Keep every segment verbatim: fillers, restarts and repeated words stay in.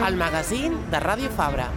el magazín de Ràdio Fabra.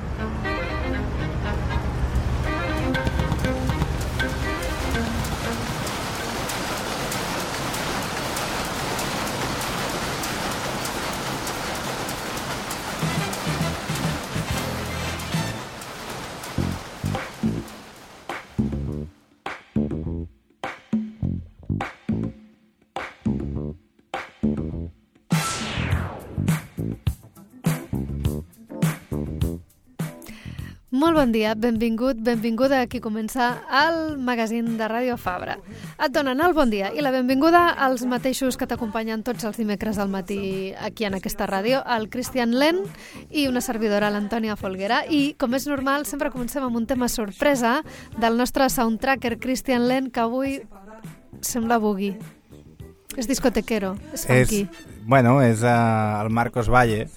Molt bon dia, benvingut, benvinguda a qui comença el magazín de Ràdio Fabra. Et donen el bon dia i la benvinguda als mateixos que t'acompanyen tots els dimecres al matí aquí en aquesta ràdio, el Cristian Len i una servidora, l'Antònia Folguera. I, com és normal, sempre comencem amb un tema sorpresa del nostre soundtracker Cristian Len, que avui sembla boogie. És discotequero, és funky. És, bueno, és uh, el Marcos Valle,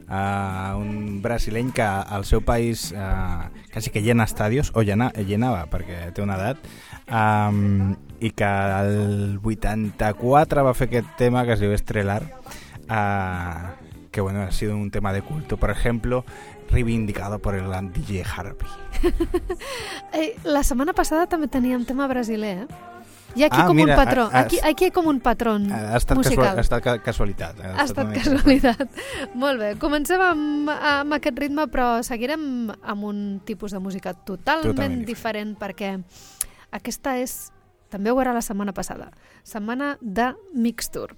Uh, un brasileny que al seu país uh, quasi que llena estadios, o llena, llenava perquè té una edat, um, i que el vuitanta-quatre va fer aquest tema que es diu Estrelar, uh, que bueno, ha sido un tema de culto, por ejemplo, reivindicado por el gran D J Harvey. eh, La setmana passada també teníem tema brasiler, eh? Hi ha aquí ah, com mira, un patró, ha, ha, aquí, aquí hi ha com un patró ha estat musical. Casual, ha estat casualitat. Ha, ha estat casualitat. Molt bé, comencem amb, amb aquest ritme, però seguirem amb un tipus de música totalment, totalment diferent, perquè aquesta és, també ho era la setmana passada, setmana de Mixture.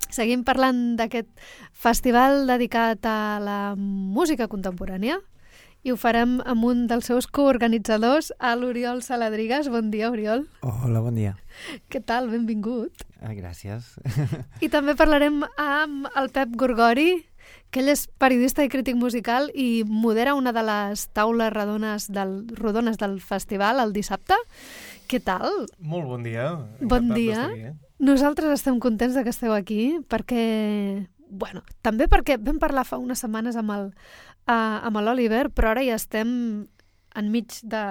Seguim parlant d'aquest festival dedicat a la música contemporània, i ho farem amb un dels seus coorganitzadors, l'Oriol Saladrigas. Bon dia, Oriol. Hola, bon dia. Què tal? Benvingut. Ah, gràcies. I també parlarem amb el Pep Gorgori, que ell és periodista i crític musical i modera una de les taules rodones del, rodones del festival el dissabte. Què tal? Molt bon dia. Bon dia. Nosaltres estem contents de que esteu aquí perquè, bueno, també perquè vam parlar fa unes setmanes amb el Uh, amb l'Oliver, però ara ja estem enmig de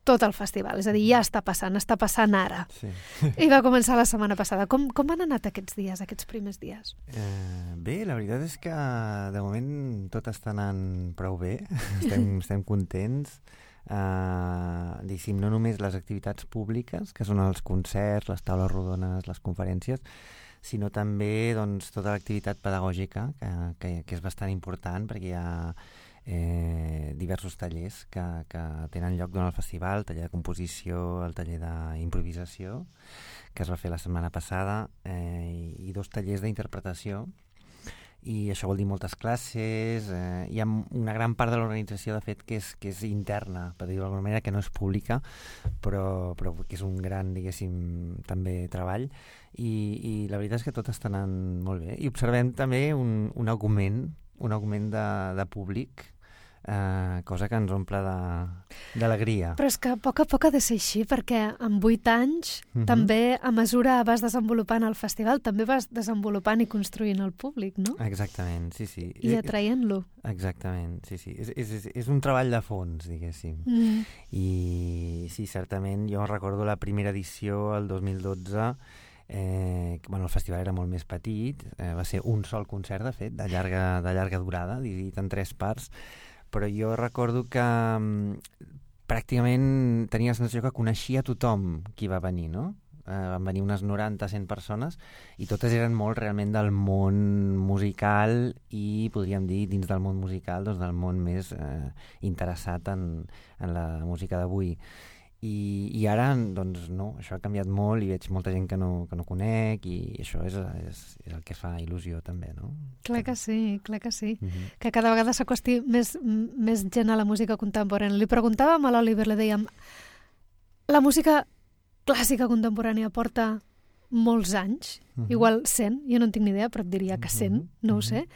tot el festival, és a dir, ja està passant, està passant ara. Sí. I va començar la setmana passada. Com, com han anat aquests dies, aquests primers dies? Eh, bé, la veritat és que de moment tot està anant prou bé, estem, estem contents. Uh, diguéssim, no només les activitats públiques, que són els concerts, les taules rodones, les conferències, sinó també doncs, tota l'activitat pedagògica, que, que, que és bastant important, perquè hi ha eh, diversos tallers que, que tenen lloc durant el festival, el taller de composició, el taller d'improvisació, que es va fer la setmana passada, eh, i, i dos tallers d'interpretació, i això vol dir moltes classes. Eh, hi ha una gran part de l'organització, de fet, que és, que és interna, per dir-ho d'alguna manera, que no és pública, però, però que és un gran, diguéssim, també treball, i, i la veritat és que tot està anant molt bé. I observem també un, un augment, un augment de, de públic, eh, cosa que ens omple d'alegria. Però és que a poc a poc ha de ser així, perquè en vuit anys, uh-huh. també a mesura vas desenvolupant el festival, també vas desenvolupant i construint el públic, no? Exactament, sí, sí. I atraient-lo. Exactament, sí, sí. És, és, és un treball de fons, diguéssim. Mm. I sí, certament, jo recordo la primera edició, el dos mil dotze, Eh, bueno, el festival era molt més petit, eh, va ser un sol concert, de fet, de llarga, de llarga durada, dividit en tres parts, però jo recordo que um, pràcticament tenia la sensació que coneixia tothom qui va venir, no? Eh, van venir unes noranta a cent persones i totes eren molt realment del món musical i, podríem dir, dins del món musical, doncs del món més eh, interessat en, en la música d'avui. I, i ara, doncs, no, això ha canviat molt i veig molta gent que no, que no conec i això és, és, és el que fa il·lusió també, no? Clar que sí, clar que sí. Uh-huh. Que cada vegada s'acosti més, més gent a la música contemporània. Li preguntàvem a l'Oliver, li dèiem, la música clàssica contemporània porta molts anys, uh-huh. igual cent, jo no en tinc ni idea, però et diria que cent, uh-huh. no ho sé.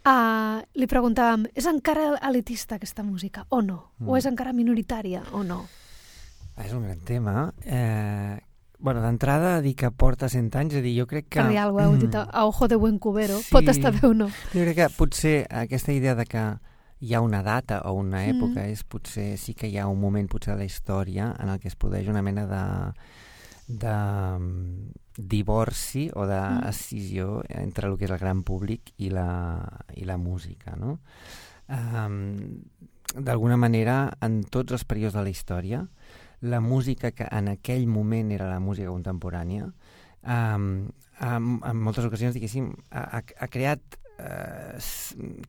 Uh, li preguntàvem, és encara elitista aquesta música o no? Uh-huh. O és encara minoritària o no? És un gran tema. Eh, bueno, d'entrada, dir que porta cent anys, és a dir, jo crec que... Per dir alguna cosa, heu dit a ojo de buen cubero, sí. Pot estar bé o no. Jo crec que potser aquesta idea de que hi ha una data o una època mm. és potser sí que hi ha un moment potser de la història en el que es produeix una mena de, de divorci o d'escissió entre el que és el gran públic i la, i la música, no? Um, d'alguna manera, en tots els períodes de la història, la música que en aquell moment era la música contemporània, um, en, en moltes ocasions, diguéssim, ha, ha creat uh,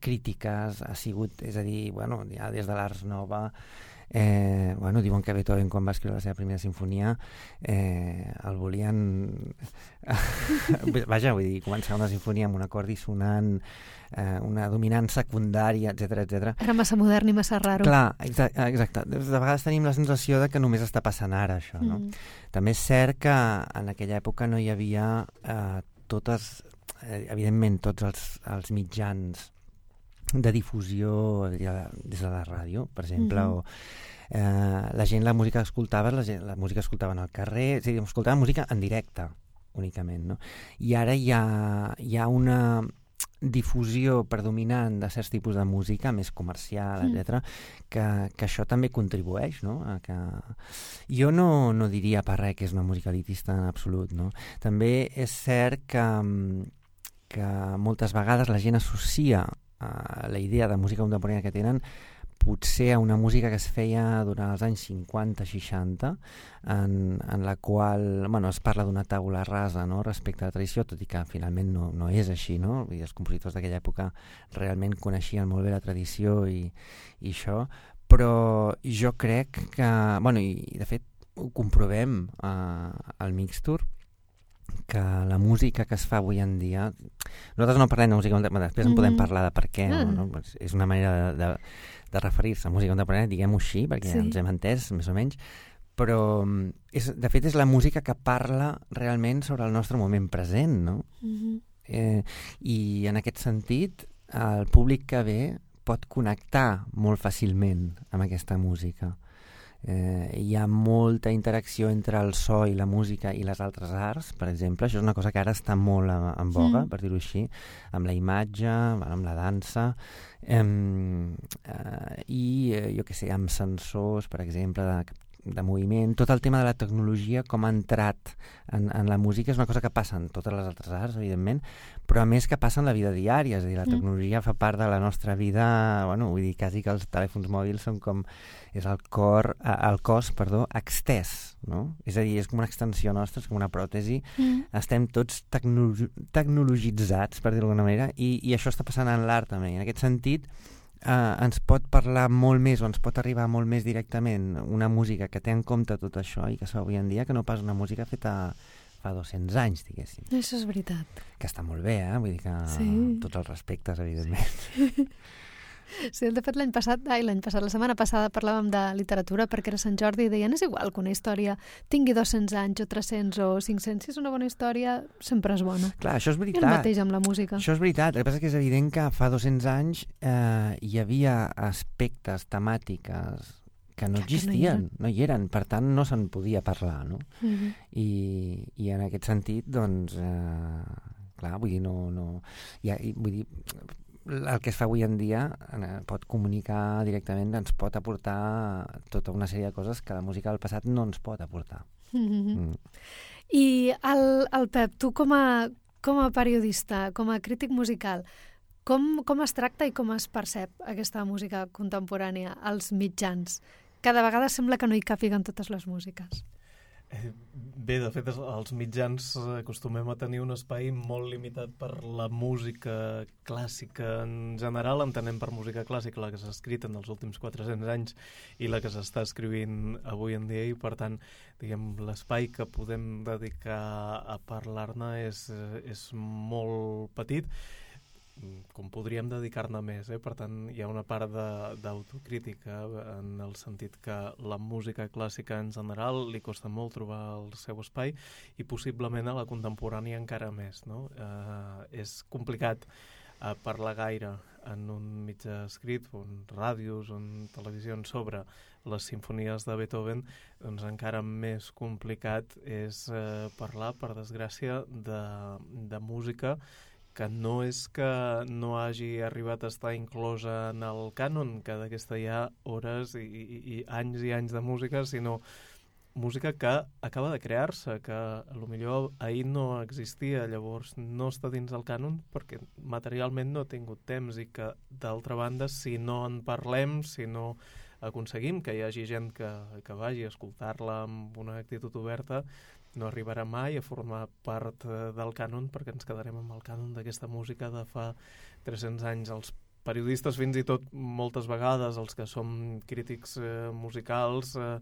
crítiques, ha sigut, és a dir, bueno, ja des de l'Ars Nova, Eh, bueno, diuen que Beethoven, quan va escriure la seva primera sinfonia, eh, el volien... Vaja, vull dir, començar una sinfonia amb un acord dissonant, eh, una dominant secundària, etcètera, etcètera. Era massa modern i massa raro. Clar, exa exacte. De vegades tenim la sensació de que només està passant ara, això, no? Mm. També és cert que en aquella època no hi havia eh, totes, eh, evidentment, tots els, els mitjans de difusió des de la ràdio, per exemple, mm-hmm. o eh, la gent, la música que escoltava, la, gent, la música que escoltaven al carrer, és a dir, escoltava música en directe, únicament, no? I ara hi ha, hi ha una difusió predominant de certs tipus de música, més comercial, mm. etcètera, que, que això també contribueix, no? A que... Jo no, no diria per res que és una música elitista en absolut, no? També és cert que, que moltes vegades la gent associa Uh, la idea de música contemporània que tenen potser a una música que es feia durant els anys cinquanta seixanta, en, en la qual bueno, es parla d'una taula rasa, no?, respecte a la tradició, tot i que finalment no, no és així, no? Vull dir, els compositors d'aquella època realment coneixien molt bé la tradició i, i això, però jo crec que, bueno, i de fet ho comprovem uh, al Mixtur, que la música que es fa avui en dia, nosaltres no parlem de música contemporània, després en podem parlar de per què, mm. no? No? És una manera de, de, de referir-se a música contemporània, diguem-ho així, perquè sí. ens hem entès, més o menys, però és, de fet és la música que parla realment sobre el nostre moment present, no? Mm-hmm. eh, I en aquest sentit, el públic que ve pot connectar molt fàcilment amb aquesta música. Eh, hi ha molta interacció entre el so i la música i les altres arts, per exemple. Això és una cosa que ara està molt en boga, mm. per dir-ho així, amb la imatge, amb la dansa, eh, eh, i eh, jo què sé, amb sensors, per exemple, de, de moviment. Tot el tema de la tecnologia, com ha entrat en, en la música, és una cosa que passa en totes les altres arts, evidentment, però a més que passa en la vida diària, és a dir, la tecnologia mm. fa part de la nostra vida, bueno, vull dir, quasi que els telèfons mòbils són com és el cor, el cos, perdó, extès, no? És a dir, és com una extensió nostra, és com una pròtesi. Mm. Estem tots tecno tecnologitzats, per dir-ho d'alguna manera, i, i això està passant en l'art també. En aquest sentit, eh, ens pot parlar molt més, o ens pot arribar molt més directament una música que té en compte tot això i que es fa avui en dia, que no pas una música feta fa dos-cents anys, diguéssim. Això és veritat. Que està molt bé, eh? Vull dir que sí. tots els respectes, evidentment. Sí. Sí, de fet l'any passat, ai, l'any passat, la setmana passada parlàvem de literatura perquè era Sant Jordi i deien és igual que una història tingui dos-cents anys o tres-cents o cinc-cents, si és una bona història sempre és bona. Clar, això és veritat. I el mateix amb la música. Això és veritat, el que passa és que és evident que fa dos-cents anys eh, hi havia aspectes, temàtiques que no Clar, existien, que no, hi no hi eren, per tant no se'n podia parlar, no? Uh-huh. I, I en aquest sentit, doncs, eh, clar, vull dir, no... no ja, vull dir, el que es fa avui en dia eh, pot comunicar directament, ens pot aportar tota una sèrie de coses que la música del passat no ens pot aportar. Mm-hmm. mm. I el, el Pep, tu com a, com a periodista, com a crític musical, com, com es tracta i com es percep aquesta música contemporània als mitjans? Cada vegada sembla que no hi càpiguen totes les músiques. Bé, de fet, els mitjans acostumem a tenir un espai molt limitat per la música clàssica en general. Entenem per música clàssica la que s'ha escrit en els últims quatre-cents anys i la que s'està escrivint avui en dia, i per tant, diguem, l'espai que podem dedicar a parlar-ne és, és molt petit, com podríem dedicar-ne més, eh? Per tant, hi ha una part d'autocrítica en el sentit que la música clàssica en general li costa molt trobar el seu espai i possiblement a la contemporània encara més, no? Eh, és complicat eh, parlar gaire en un mitjà escrit, o en ràdios, o en televisió sobre les simfonies de Beethoven, doncs encara més complicat és eh, parlar, per desgràcia, de, de música que no és que no hagi arribat a estar inclosa en el cànon, que d'aquesta hi ha hores i, i, i anys i anys de música, sinó música que acaba de crear-se, que potser ahir no existia, llavors no està dins del cànon perquè materialment no ha tingut temps i que, d'altra banda, si no en parlem, si no aconseguim que hi hagi gent que, que vagi a escoltar-la amb una actitud oberta, no arribarà mai a formar part del cànon perquè ens quedarem amb el cànon d'aquesta música de fa tres-cents anys. Els periodistes, fins i tot moltes vegades, els que som crítics eh, musicals, eh,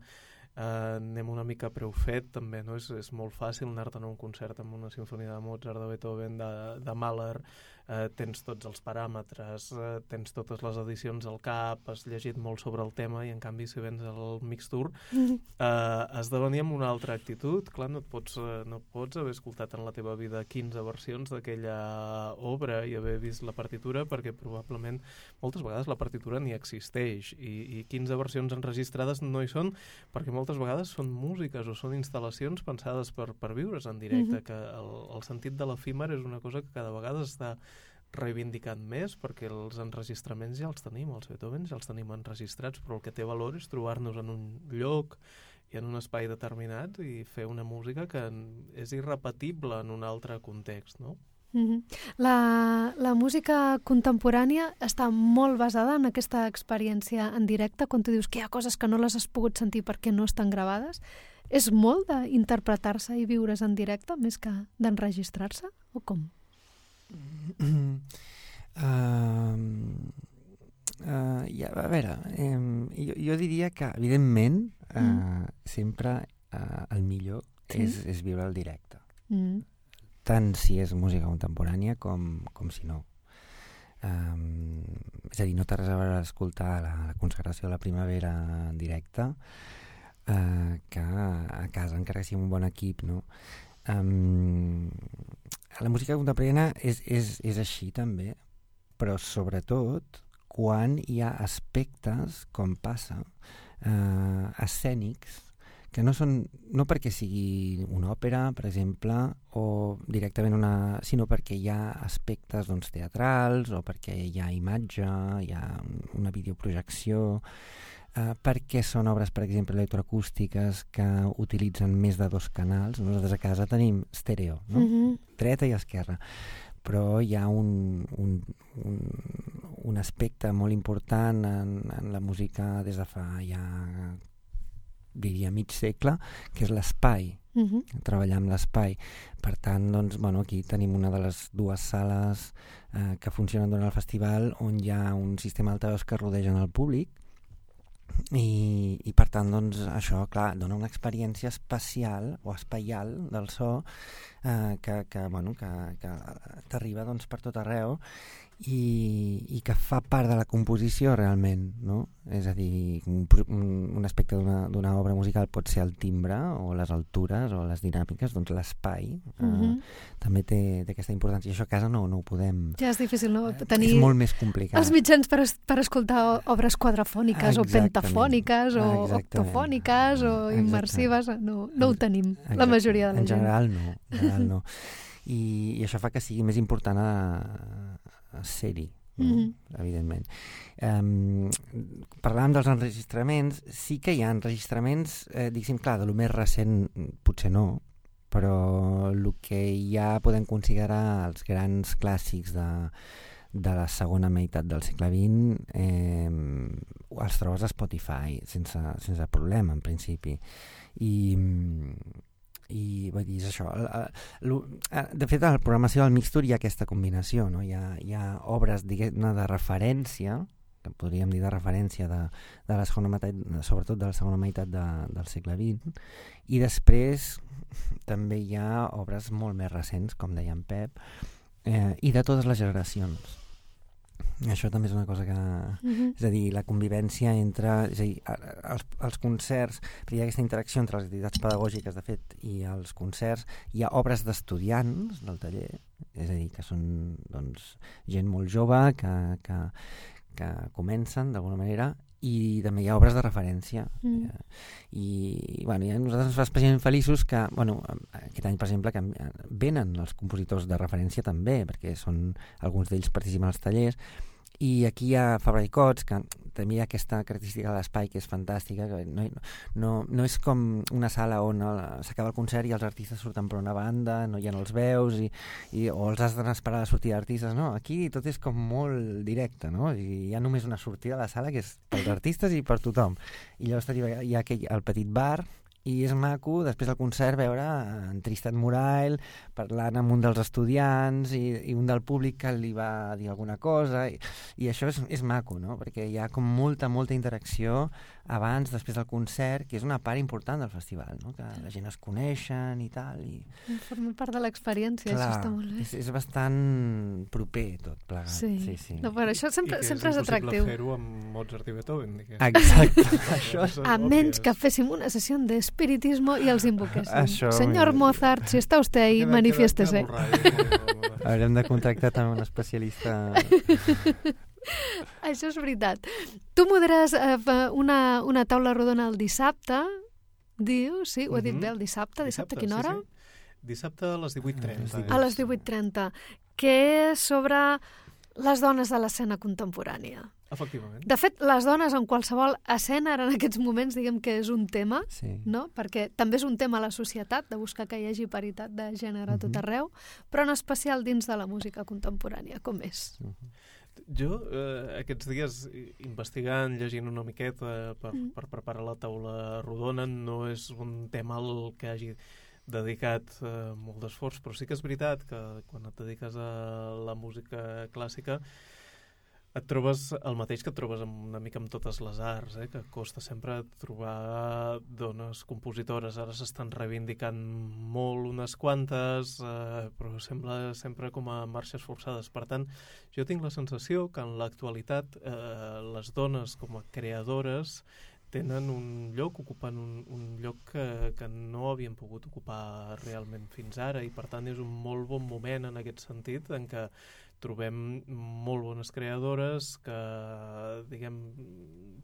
Uh, anem una mica preu fet també, no? És, és molt fàcil anar-te'n a un concert amb una sinfonia de Mozart, de Beethoven, de, de Mahler, uh, tens tots els paràmetres, uh, tens totes les edicions al cap, has llegit molt sobre el tema i en canvi si vens al Mixtour uh, has de venir amb una altra actitud. Clar, no et pots, uh, no pots haver escoltat en la teva vida quinze versions d'aquella obra i haver vist la partitura perquè probablement moltes vegades la partitura ni existeix i, i quinze versions enregistrades no hi són perquè moltes vegades són músiques o són instal·lacions pensades per, per viure's en directe, mm-hmm. que el, el sentit de l'efímer és una cosa que cada vegada està reivindicant més perquè els enregistraments ja els tenim, els Beethoven ja els tenim enregistrats, però el que té valor és trobar-nos en un lloc i en un espai determinat i fer una música que és irrepetible en un altre context, no? Mm-hmm. La, la música contemporània està molt basada en aquesta experiència en directe, quan tu dius que hi ha coses que no les has pogut sentir perquè no estan gravades. És molt d'interpretar-se i viure's en directe més que d'enregistrar-se, o com? Uh, uh, ja, a veure, um, jo, jo diria que, evidentment, uh, mm. sempre uh, el millor sí. és, és viure el directe. Mm. Tant si és música contemporània com, com si no. Um, és a dir, no té res a veure escoltar la, la consagració de la primavera en directe uh, que a casa, encara que sigui un bon equip, no? Um, la música contemporània és, és, és així també, però sobretot quan hi ha aspectes, com passa, uh, escènics, que no són, no perquè sigui una òpera, per exemple, o directament una, sinó perquè hi ha aspectes doncs, teatrals, o perquè hi ha imatge, hi ha una videoprojecció, eh, perquè són obres, per exemple, electroacústiques que utilitzen més de dos canals. Nosaltres a casa tenim estèreo, no? Mm-hmm. Dreta i esquerra. Però hi ha un, un, un, un aspecte molt important en, en la música des de fa ja diria mig segle, que és l'espai, uh-huh. treballar amb l'espai. Per tant, doncs, bueno, aquí tenim una de les dues sales eh, que funcionen durant el festival on hi ha un sistema d'altaveus que rodegen el públic i, i per tant, doncs, això, clar, dona una experiència espacial o espaial del so eh, que, que, bueno, que, que t'arriba doncs, per tot arreu i, i que fa part de la composició realment, no? És a dir, un, un aspecte d'una, d'una obra musical pot ser el timbre o les altures o les dinàmiques, doncs l'espai uh-huh. eh, també té, té aquesta importància i això a casa no, no ho podem... Ja és difícil, no? Tenir és molt més complicat. Els mitjans per, es, per escoltar obres quadrafòniques Exactament. o pentafòniques o Exactament. octofòniques o immersives, no, no ho tenim, Exactament. la majoria de la gent. En general no, en general no. I, i això fa que sigui més important a a ser-hi, no? Mm-hmm. Evidentment. Um, parlàvem dels enregistraments, sí que hi ha enregistraments, eh, diguéssim, clar, de lo més recent potser no, però el que ja podem considerar els grans clàssics de, de la segona meitat del segle vint eh, els trobes a Spotify sense, sense problema, en principi. I... i vull dir, és això de fet a la programació del Mixtour hi ha aquesta combinació, no? hi, ha, hi ha obres diguem-ne de referència que podríem dir de referència de, de la segona meitat, sobretot de la segona meitat de, del segle vint i després també hi ha obres molt més recents, com deia en Pep eh, i de totes les generacions. Això també és una cosa que... Uh-huh. És a dir, la convivència entre... És a dir, els, els concerts, hi ha aquesta interacció entre les activitats pedagògiques, de fet, i els concerts. Hi ha obres d'estudiants del taller, és a dir, que són doncs, gent molt jove, que, que, que comencen d'alguna manera, i també hi ha obres de referència. Mm. I, i bueno, i a nosaltres ens fa especialment feliços que, bueno, aquest any, per exemple, que venen els compositors de referència també, perquè són alguns d'ells participen als tallers, I aquí hi ha Fabra i Coats, que també hi ha aquesta característica de l'espai que és fantàstica, que no, no, no és com una sala on s'acaba el concert i els artistes surten per una banda, no hi ha els veus, i, i, o els has d'esperar a la sortida d'artistes. No, aquí tot és com molt directe, no? I hi ha només una sortida a la sala que és pels artistes i per tothom. I llavors hi ha aquell, el petit bar, i és maco, després del concert, veure en Tristan Murail parlant amb un dels estudiants i, i un del públic que li va dir alguna cosa, i, i això és, és maco, no? Perquè hi ha com molta, molta interacció abans, després del concert, que és una part important del festival, no? Que la gent es coneixen i tal. I... Forma part de l'experiència, això està molt bé. És, és bastant proper tot plegat. Sí, sí, sí. No, però això sempre, sempre és atractiu. I que és impossible fer-ho amb Mozart i Beethoven, diguem. Exacte. Això és... A menys que féssim una sessió d'espiritismo i els invoquéssim. Això, Senyor Mozart, si està usted ahí, manifiéstese. Haurem de contractar també un especialista... Això és veritat. Tu moderes eh, una, una taula rodona el dissabte, dius, sí, ho he dit Mm-hmm. bé, el dissabte, dissabte, a quina hora? Sí, sí. Dissabte a les divuit trenta. A les divuit trenta, que és sobre les dones de l'escena contemporània. Efectivament. De fet, les dones en qualsevol escena, ara en aquests moments, diguem que és un tema, Sí. no? Perquè també és un tema a la societat, de buscar que hi hagi paritat de gènere a tot Mhm. arreu, però en especial dins de la música contemporània, com és. Uh-huh. Jo, eh, aquests dies, investigant, llegint una miqueta per, Mm. per preparar la taula rodona, no és un tema al que hagi dedicat eh, molt d'esforç, però sí que és veritat que quan et dediques a la música clàssica et trobes el mateix que et trobes amb, una mica amb totes les arts, eh? Que costa sempre trobar dones compositores. Ara s'estan reivindicant molt unes quantes, eh, però sembla sempre com a marxes forçades. Per tant, jo tinc la sensació que en l'actualitat eh, les dones com a creadores tenen un lloc, ocupen un, un lloc que, que no havien pogut ocupar realment fins ara, i per tant és un molt bon moment en aquest sentit, en què trobem molt bones creadores que, diguem,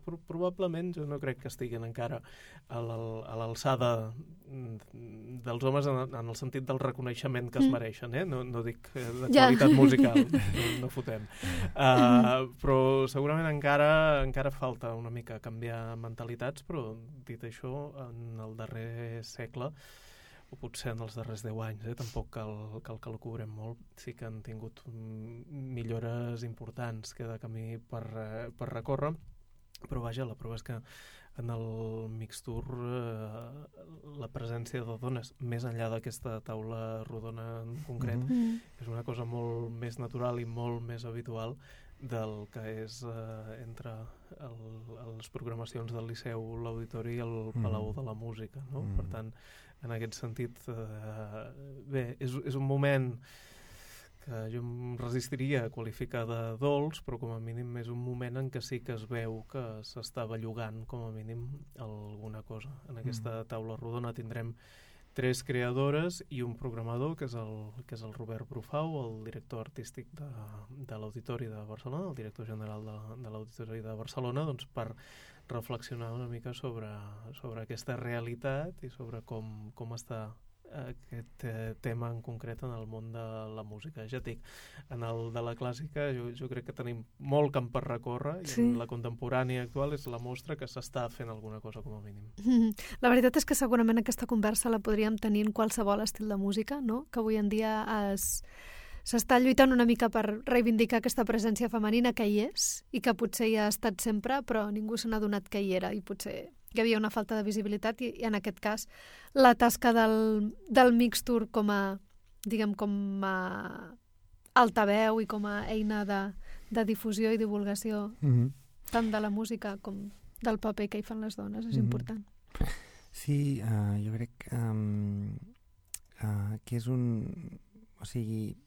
pro probablement jo no crec que estiguin encara a l'alçada dels homes en, en el sentit del reconeixement que es mereixen, eh? No, no dic de qualitat ja. musical, no, no fotem. Uh, però segurament encara, encara falta una mica canviar mentalitats, però dit això, en el darrer segle, o potser en els darrers deu anys, eh? Tampoc cal, cal que el cobrem molt, sí que han tingut millores importants, queda camí per, per recórrer, però vaja, la prova és que en el Mixtour eh, la presència de dones, més enllà d'aquesta taula rodona en concret, Mm. és una cosa molt més natural i molt més habitual del que és eh, entre el, les programacions del Liceu, l'Auditori i el Palau de la Música, no? Mm. Per tant, en aquest sentit, eh, bé, és, és un moment que jo em resistiria a qualificar de dolç, però com a mínim és un moment en què sí que es veu que s'està bellugant com a mínim alguna cosa. En aquesta taula rodona tindrem tres creadores i un programador, que és el, que és el Robert Brufau, el director artístic de, de l'Auditori de Barcelona, el director general de, de l'Auditori de Barcelona, doncs per reflexionar una mica sobre, sobre aquesta realitat i sobre com, com està aquest eh, tema en concret en el món de la música. Ja dic, en el de la clàssica jo, jo crec que tenim molt camp per recórrer, i Sí. en la contemporània actual és la mostra que s'està fent alguna cosa com a mínim. Mm. La veritat és que segurament aquesta conversa la podríem tenir en qualsevol estil de música, no? Que avui en dia es... s'està lluitant una mica per reivindicar aquesta presència femenina que hi és i que potser hi ha estat sempre, però ningú se n'ha donat que hi era i potser hi havia una falta de visibilitat i, i en aquest cas la tasca del, del Mixtour com a, diguem, com a altaveu i com a eina de, de difusió i divulgació Mm-hmm. tant de la música com del paper que hi fan les dones, és Mhm. important. Sí, uh, jo crec um, uh, que és un... O sigui,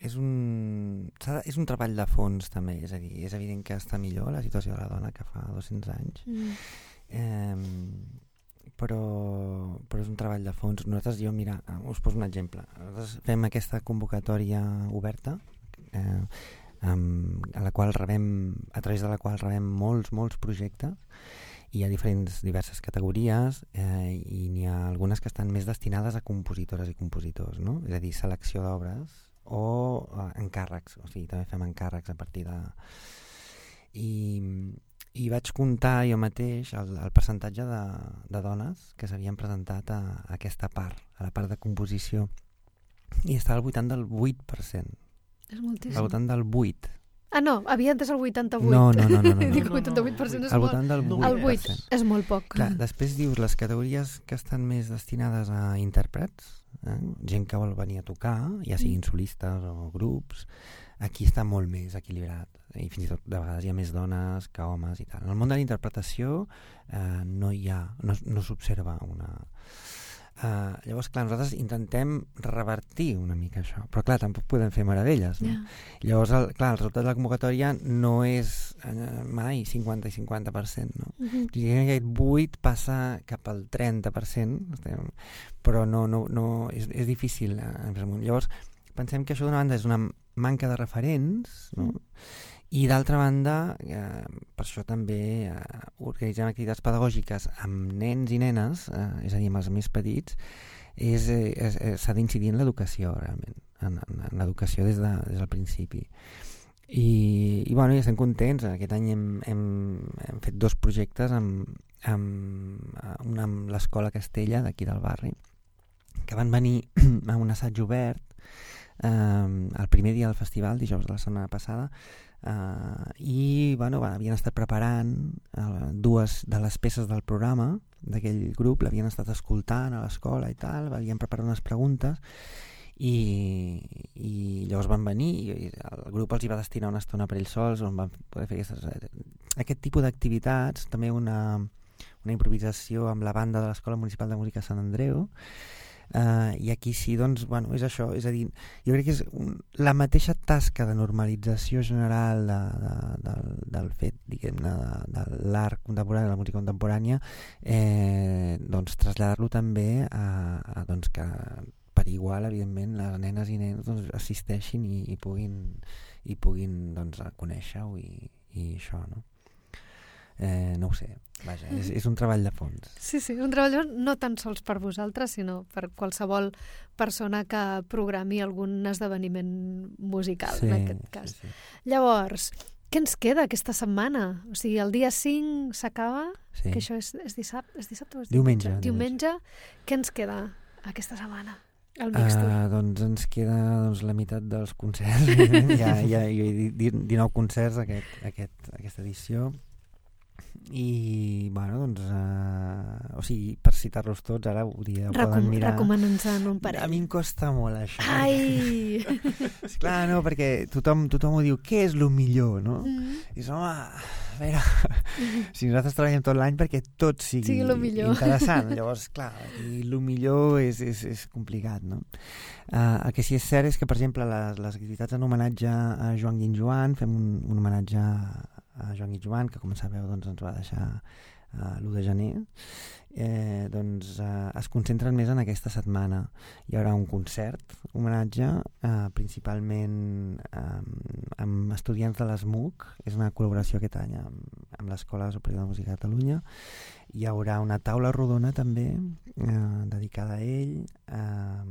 és un, de, és un treball de fons també, és a dir, és evident que està millor la situació de la dona que fa dos-cents anys, Mm. eh, però, però és un treball de fons. Nosaltres, jo, mira, us poso un exemple. Nosaltres fem aquesta convocatòria oberta, eh, um, a la qual rebem, a través de la qual rebem molts, molts projectes, i hi ha diferents, diverses categories, eh, i n'hi ha algunes que estan més destinades a compositores i compositors, no? És a dir, selecció d'obres o uh, encàrrecs, o sigui, també fem encàrrecs a partir de... I, i vaig comptar jo mateix el, el percentatge de, de dones que s'havien presentat a, a aquesta part, a la part de composició, i estava al voltant del vuit per cent. És moltíssim. Al voltant del vuit. Ah, no, havia entès el vuitanta-vuit. No, no, no. no, no, no. Dic vuitanta-vuit per cent és al molt... voltant del vuit. El vuit és molt poc. Clar, després dius les categories que estan més destinades a intèrprets, eh? Gent que vol venir a tocar, ja siguin solistes o grups, aquí està molt més equilibrat, i fins i tot de vegades hi ha més dones que homes i tal. En el món de la interpretació eh, no hi ha, no, no s'observa una... Uh, llavors, clar, nosaltres intentem revertir una mica això, però clar, tampoc podem fer meravelles, no? Yeah. Llavors, el, clar, el resultat de la convocatòria no és uh, mai cinquanta i cinquanta per cent, no? Uh-huh. Diguem que aquest vuit passa cap al trenta per cent, estem, però no, no, no, és, és difícil. Eh? Llavors, pensem que això d'una banda és una manca de referents, no? Mm. I d'altra banda, eh, per això també eh, organitzem activitats pedagògiques amb nens i nenes, eh, és a dir, amb els més petits, és, és, és, s'ha d'incidir en l'educació, realment, en, en, en l'educació des, de, des del principi. I, i bueno, ja estem contents. Aquest any hem, hem, hem fet dos projectes amb, amb, un amb l'Escola Castella, d'aquí del barri, que van venir a un assaig obert eh, el primer dia del festival, dijous de la setmana passada, Uh, i bueno, va, havien estat preparant uh, dues de les peces del programa d'aquell grup, l'havien estat escoltant a l'escola i tal, havien preparat unes preguntes i, i llavors van venir i el grup els hi va destinar una estona per ells sols on van poder fer aquestes, aquest tipus d'activitats, també una, una improvisació amb la banda de l'Escola Municipal de Música Sant Andreu. Uh, i aquí sí, doncs, bueno, és això, és a dir, jo crec que és un, la mateixa tasca de normalització general de, de, del, del fet, diguem-ne, de, de l'art contemporani, de la música contemporània, eh, doncs traslladar-lo també a, a doncs que per igual, evidentment, les nenes i nens doncs, assisteixin i, i puguin, i puguin doncs, conèixer-ho i, i això, no? Eh, no ho sé, vaja, és, és un treball de fons. Sí, sí, un treball de fons no tan sols per vosaltres, sinó per qualsevol persona que programi algun esdeveniment musical, sí, en aquest cas. Sí, sí. Llavors, què ens queda aquesta setmana? O sigui, el dia cinc s'acaba, sí. Que això és, és dissabte, és dissabte o és diumenge, diumenge. Diumenge. Què ens queda aquesta setmana? El Mixtur. Uh, doncs ens queda doncs, la meitat dels concerts. ja, ja, jo he dit dinou concerts aquest, aquest, aquesta edició. I, bueno, doncs, uh, o sigui, per citar-los tots, ara ho dia, Recom poden mirar... Recomana'ns-en un parell. A mi em costa molt, això. Ai! És clar, no, perquè tothom, tothom ho diu, què és el millor, no? Mm. I dius, home, a veure, si nosaltres treballem tot l'any perquè tot sigui, sigui interessant, llavors, clar, i el millor és, és, és complicat, no? Uh, el que sí és cert és que, per exemple, les, les activitats en homenatge a Joan Guinjoan, fem un, un homenatge a Joan Guinjoan, que com sabeu doncs, ens va deixar uh, l'u de gener, eh, doncs uh, es concentren més en aquesta setmana. Hi haurà un concert, homenatge, uh, principalment um, amb estudiants de l'ESMUC, és una col·laboració aquest any amb, amb l'Escola Superior de Música de Catalunya. Hi haurà una taula rodona també eh, dedicada a ell eh,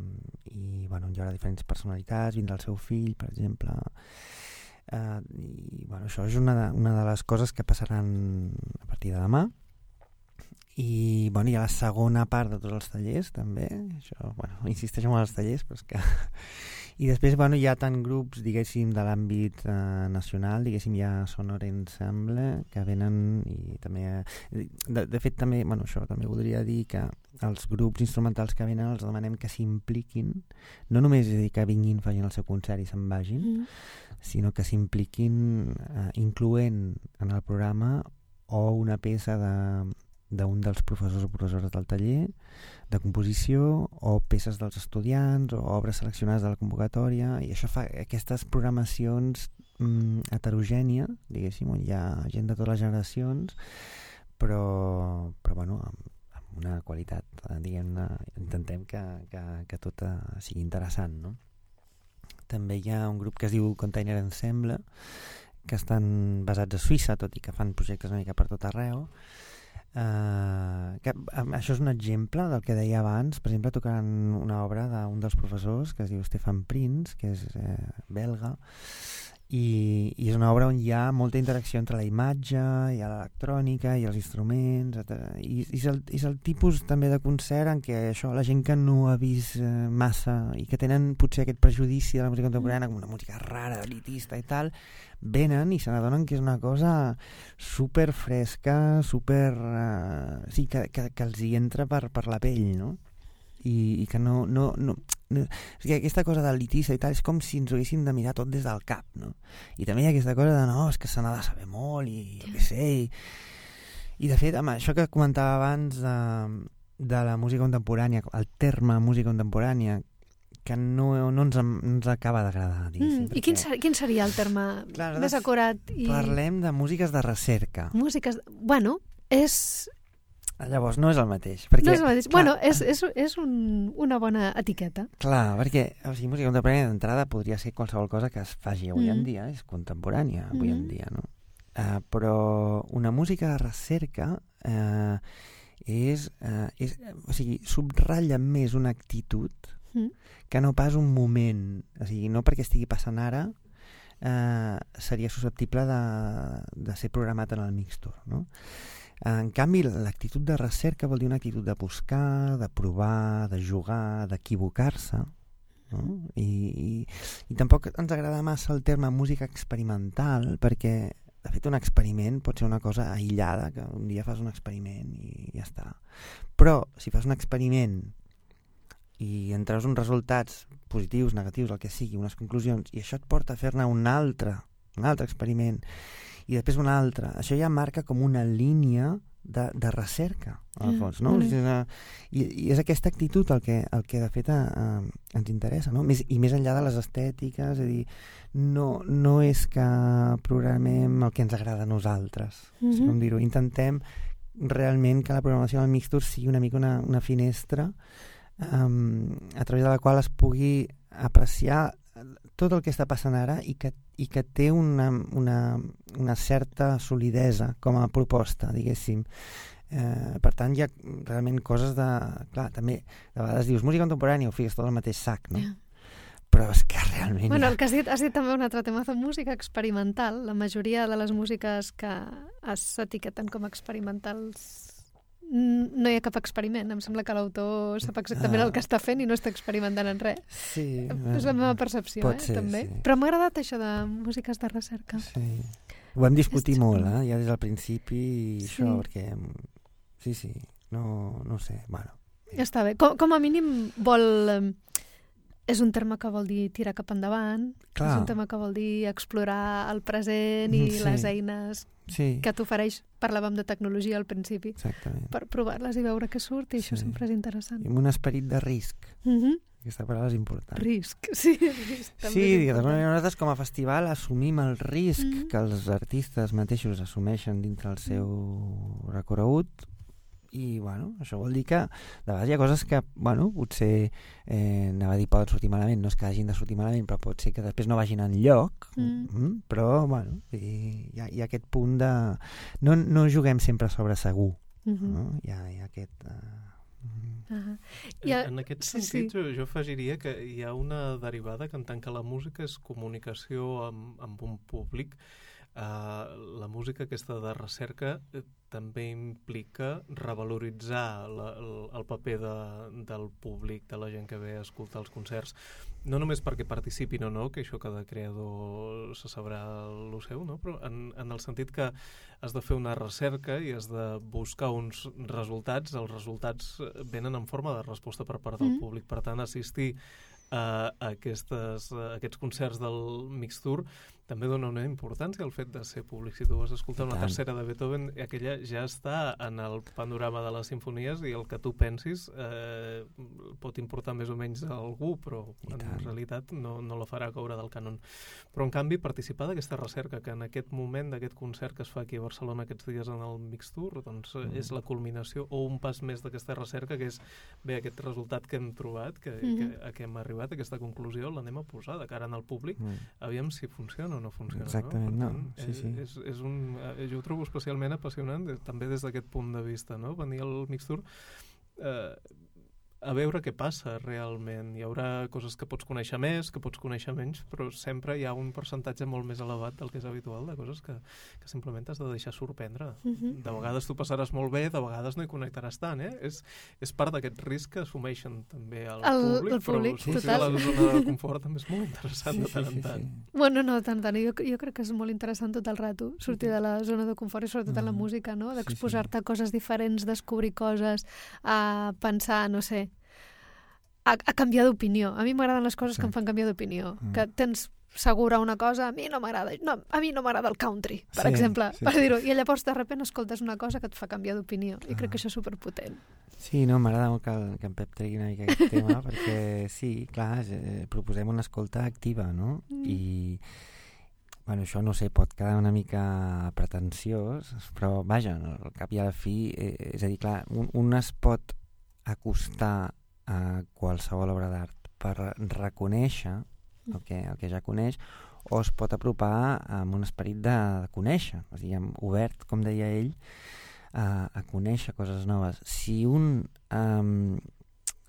i bueno, hi haurà diferents personalitats, vindrà el seu fill, per exemple. Uh, i bueno, això és una de, una de les coses que passaran a partir de demà. I bueno, hi ha la segona part de tots els tallers també, això, bueno, insisteixo en els tallers, però és que i després bueno, hi ha tant grups, diguéssim, de l'àmbit eh, nacional, diguéssim, hi ha Sonor Ensemble que venen i també de, de fet també, bueno, això també voldria dir que els grups instrumentals que venen els demanem que s'impliquin, no només és dir que vinguin, facin el seu concert i se'n vagin, mm. sinó que s'impliquin eh, incloent en el programa o una peça de d'un dels professors o professores del taller de composició o peces dels estudiants o obres seleccionades de la convocatòria, i això fa aquestes programacions mm, heterogènies, diguéssim, on hi ha gent de totes les generacions, però, però bueno, amb, amb una qualitat, diguem-ne, intentem que, que, que tot sigui interessant, no? També hi ha un grup que es diu Container Ensemble, que estan basats a Suïssa, tot i que fan projectes una mica per tot arreu, Uh, que, això és un exemple del que deia abans. Per exemple, tocant una obra d'un dels professors que es diu Stefan Prinz, que és eh, belga, i, i és una obra on hi ha molta interacció entre la imatge i l'electrònica i els instruments, etcètera. I, i, és el, és el tipus també de concert en què això, la gent que no ha vist eh, massa i que tenen potser aquest prejudici de la música contemporània com una música rara, elitista i tal, venen i se n'adonen que és una cosa super fresca, super... Eh, sí, que, que, que els hi entra per, per la pell, no? I, i que no, no, no, no o sigui, aquesta cosa d'elitista i tal és com si ens ho haguéssim de mirar tot des del cap, no? I també hi ha aquesta cosa de no, és que se n'ha de saber molt i jo què sé i, i de fet, amb això que comentava abans de, de la música contemporània, el terme música contemporània, que no, no, ens, no ens acaba d'agradar, diguéssim. Mm, I quin, ser, quin seria el terme clar, més acurat? I... Parlem de músiques de recerca. Músiques... Bueno, és... Llavors, no és el mateix. Perquè, no és el mateix. Clar, bueno, és, és, és un, una bona etiqueta. Clar, perquè o sigui, música contemporània d'entrada podria ser qualsevol cosa que es faci avui mm. en dia, és contemporània avui mm. en dia, no? Uh, però una música de recerca uh, és, uh, és... O sigui, subratlla més una actitud mm. que no pas un moment. O sigui, no perquè estigui passant ara uh, seria susceptible de, de ser programat en el mixtur, no? En canvi, l'actitud de recerca vol dir una actitud de buscar, de provar, de jugar, d'equivocar-se, no? I, i, i tampoc ens agrada massa el terme música experimental perquè, de fet, un experiment pot ser una cosa aïllada, que un dia fas un experiment i ja està. Però, si fas un experiment i en treus uns resultats positius, negatius, el que sigui, unes conclusions, i això et porta a fer-ne un altre, un altre experiment, i després una altra. Això ja marca com una línia de, de recerca, al fons, no? Mm. Una, i, I és aquesta actitud el que, el que de fet a, a, ens interessa, no? Més, I més enllà de les estètiques, és a dir, no, no és que programem el que ens agrada a nosaltres, mm -hmm. com dir-ho. Intentem realment que la programació del mixtur sigui una mica una, una finestra um, a través de la qual es pugui apreciar tot el que està passant ara i que, i que té una, una, una certa solidesa com a proposta, diguéssim. Eh, per tant, hi ha realment coses de... Clar, també, de vegades dius música contemporània, ho fiques tot al mateix sac, no? Yeah. Però és que realment... Bueno, el que has dit, has dit també un altre tema de música experimental. La majoria de les músiques que s'etiqueten com experimentals no hi ha cap experiment. Em sembla que l'autor sap exactament ah. el que està fent i no està experimentant en res. Sí. És la meva percepció, eh, ser, també. Sí. Però m'ha agradat això de músiques de recerca. Sí. Ho vam discutir és molt, eh, ja des del principi, i sí. això, perquè... Sí, sí, no, no sé, bueno. Ja està bé. Com, com a mínim vol... És un terme que vol dir tirar cap endavant, Clar. és un terme que vol dir explorar el present i sí. les eines sí. que t'ofereix. Parlàvem de tecnologia al principi. Exactament. Per provar-les i veure què surt, i sí. això sempre és interessant. I amb un esperit de risc. Mm-hmm. Aquesta paraula és important. Risc, sí. Risc, també sí, de nosaltres com a festival assumim el risc mm-hmm. que els artistes mateixos assumeixen dintre el seu recorregut. I, bueno, això vol dir que de vegades hi ha coses que, bueno, potser eh, anava a dir poden sortir malament, no és que hagin de sortir malament, però pot ser que després no vagin enlloc, mm. Mm, però, bueno, hi ha, hi ha aquest punt de... No, no juguem sempre sobre segur, mm-hmm. no? Hi ha, hi ha aquest... Uh... Uh-huh. Ha... En, en aquest sentit, sí, sí. Jo, jo afegiria que hi ha una derivada que en tant que la música és comunicació amb, amb un públic, Uh, la música aquesta de recerca eh, també implica revaloritzar la, el, el paper de, del públic, de la gent que ve a escoltar els concerts, no només perquè participin o no, que això cada creador se sabrà el seu, no? Però en, en el sentit que has de fer una recerca i has de buscar uns resultats, els resultats venen en forma de resposta per part del mm. públic, per tant assistir a, aquestes, a aquests concerts del Mixtur també dona una importància al fet de ser públic. Si tu vas escoltar una tercera de Beethoven, aquella ja està en el panorama de les simfonies i el que tu pensis eh, pot importar més o menys a algú, però en realitat no, no la farà caure del cànon. Però en canvi participar d'aquesta recerca, que en aquest moment d'aquest concert que es fa aquí a Barcelona aquests dies en el Mixtur, doncs mm. és la culminació o un pas més d'aquesta recerca, que és bé aquest resultat que hem trobat, que, mm. que, a què hem arribat, aquesta conclusió, l'anem a posar de cara al públic, mm. aviam si funciona o no funciona. Exactament, no? no. Sí, sí. És, és un, jo ho trobo especialment apassionant, també des d'aquest punt de vista, no? Venir al Mixtur eh, a veure què passa realment. Hi haurà coses que pots conèixer més, que pots conèixer menys, però sempre hi ha un percentatge molt més elevat del que és habitual, de coses que, que simplement t'has de deixar sorprendre. Uh-huh. De vegades tu passaràs molt bé, de vegades no hi connectaràs tant, eh? És, és part d'aquest risc que assumeixen també el, el públic, el públic, però sortir de la zona de confort també és molt interessant sí, de tant en tant. Sí, sí. Bueno, no, tant, tant. Jo, jo crec que és molt interessant tot el rato, sortir de la zona de confort i sobretot uh-huh. en la música, no? D'exposar-te sí, sí. a coses diferents, descobrir coses, a pensar, no sé, A, a canviar d'opinió. A mi m'agraden les coses sí. que em fan canviar d'opinió. Mm. Que tens segura una cosa, a mi no m'agrada no, a mi no m'agrada el country, per sí, exemple, sí. per dir-ho. I llavors, de sobte, escoltes una cosa que et fa canviar d'opinió. I ah. crec que això és superpotent. Sí, no, m'agrada molt que, el, que en Pep tregui una mica aquest tema, perquè sí, clar, eh, proposem una escolta activa, no? Mm. I, bueno, això, no sé, pot quedar una mica pretensiós, però, vaja, al cap i a la fi, eh, és a dir, clar, un, un es pot acostar a qualsevol obra d'art per reconèixer el que, el que ja coneix, o es pot apropar amb un esperit de, de conèixer, o sigui, obert, com deia ell, a, a conèixer coses noves. Si un um,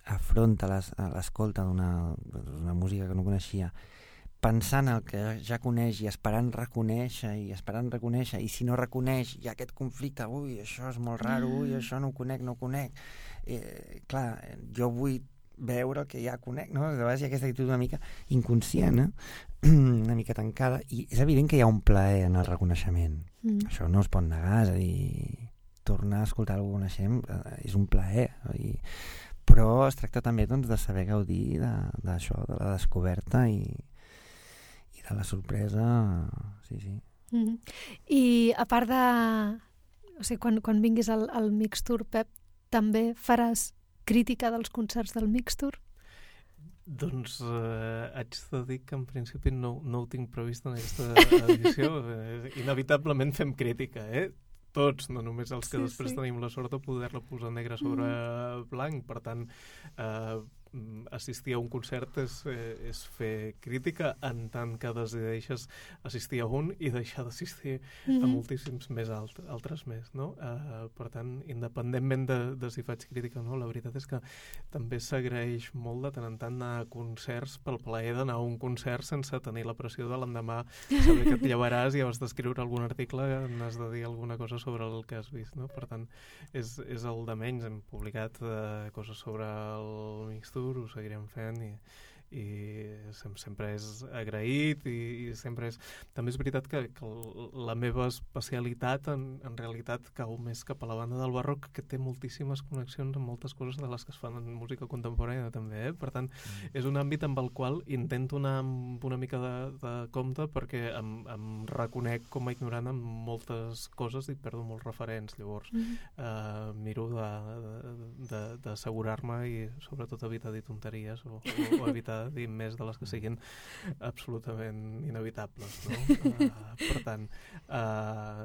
afronta les, l'escolta d'una, d'una música que no coneixia pensant el que ja coneix i esperant reconèixer i esperant reconèixer, i si no reconeix hi ha aquest conflicte, ui, això és molt raro, ui, això no ho conec, no ho conec. Eh, clar, jo vull veure el que ja conec, no? De vegades hi ha aquesta actitud una mica inconscient, eh? una mica tancada, i és evident que hi ha un plaer en el reconeixement. Mm. Això no es pot negar, és a dir, tornar a escoltar algú que coneixem eh, és un plaer, i... però es tracta també doncs, de saber gaudir d'això, de, de la descoberta i de la sorpresa, sí, sí. Mm-hmm. I a part de... O sigui, quan, quan vinguis al, al Mixtur, Pep, també faràs crítica dels concerts del Mixtur? Doncs eh, haig de dir que en principi no, no ho tinc previst en aquesta edició. eh, inevitablement fem crítica, eh? Tots, no només els que sí, després sí. tenim la sort de poder-la posar negre sobre mm. blanc. Per tant, eh, assistir a un concert és, eh, és fer crítica, en tant que decideixes assistir a un i deixar d'assistir mm-hmm. a moltíssims més alt, altres més, no? Uh, per tant, independentment de, de si faig crítica o no, la veritat és que també s'agraeix molt de tant en tant anar a concerts pel plaer d'anar a un concert sense tenir la pressió de l'endemà saber que et llevaràs i has d'escriure algun article, n'has de dir alguna cosa sobre el que has vist, no? Per tant, és, és el de menys. Hem publicat uh, coses sobre el Mixtur, ho seguirem fent i, i sempre és agraït i, i sempre és... També és veritat que, que la meva especialitat en, en realitat cau més cap a la banda del barroc, que té moltíssimes connexions amb moltes coses de les que es fan en música contemporània també, eh? Per tant, mm. és un àmbit amb el qual intento anar amb una mica de, de compte perquè em, em reconec com a ignorant en moltes coses i perdo molts referents, llavors mm. eh, miro d'assegurar-me i sobretot evitar dir tonteries o, o, o evitar dir més de les que siguin absolutament inevitables, no? Uh, per tant, uh,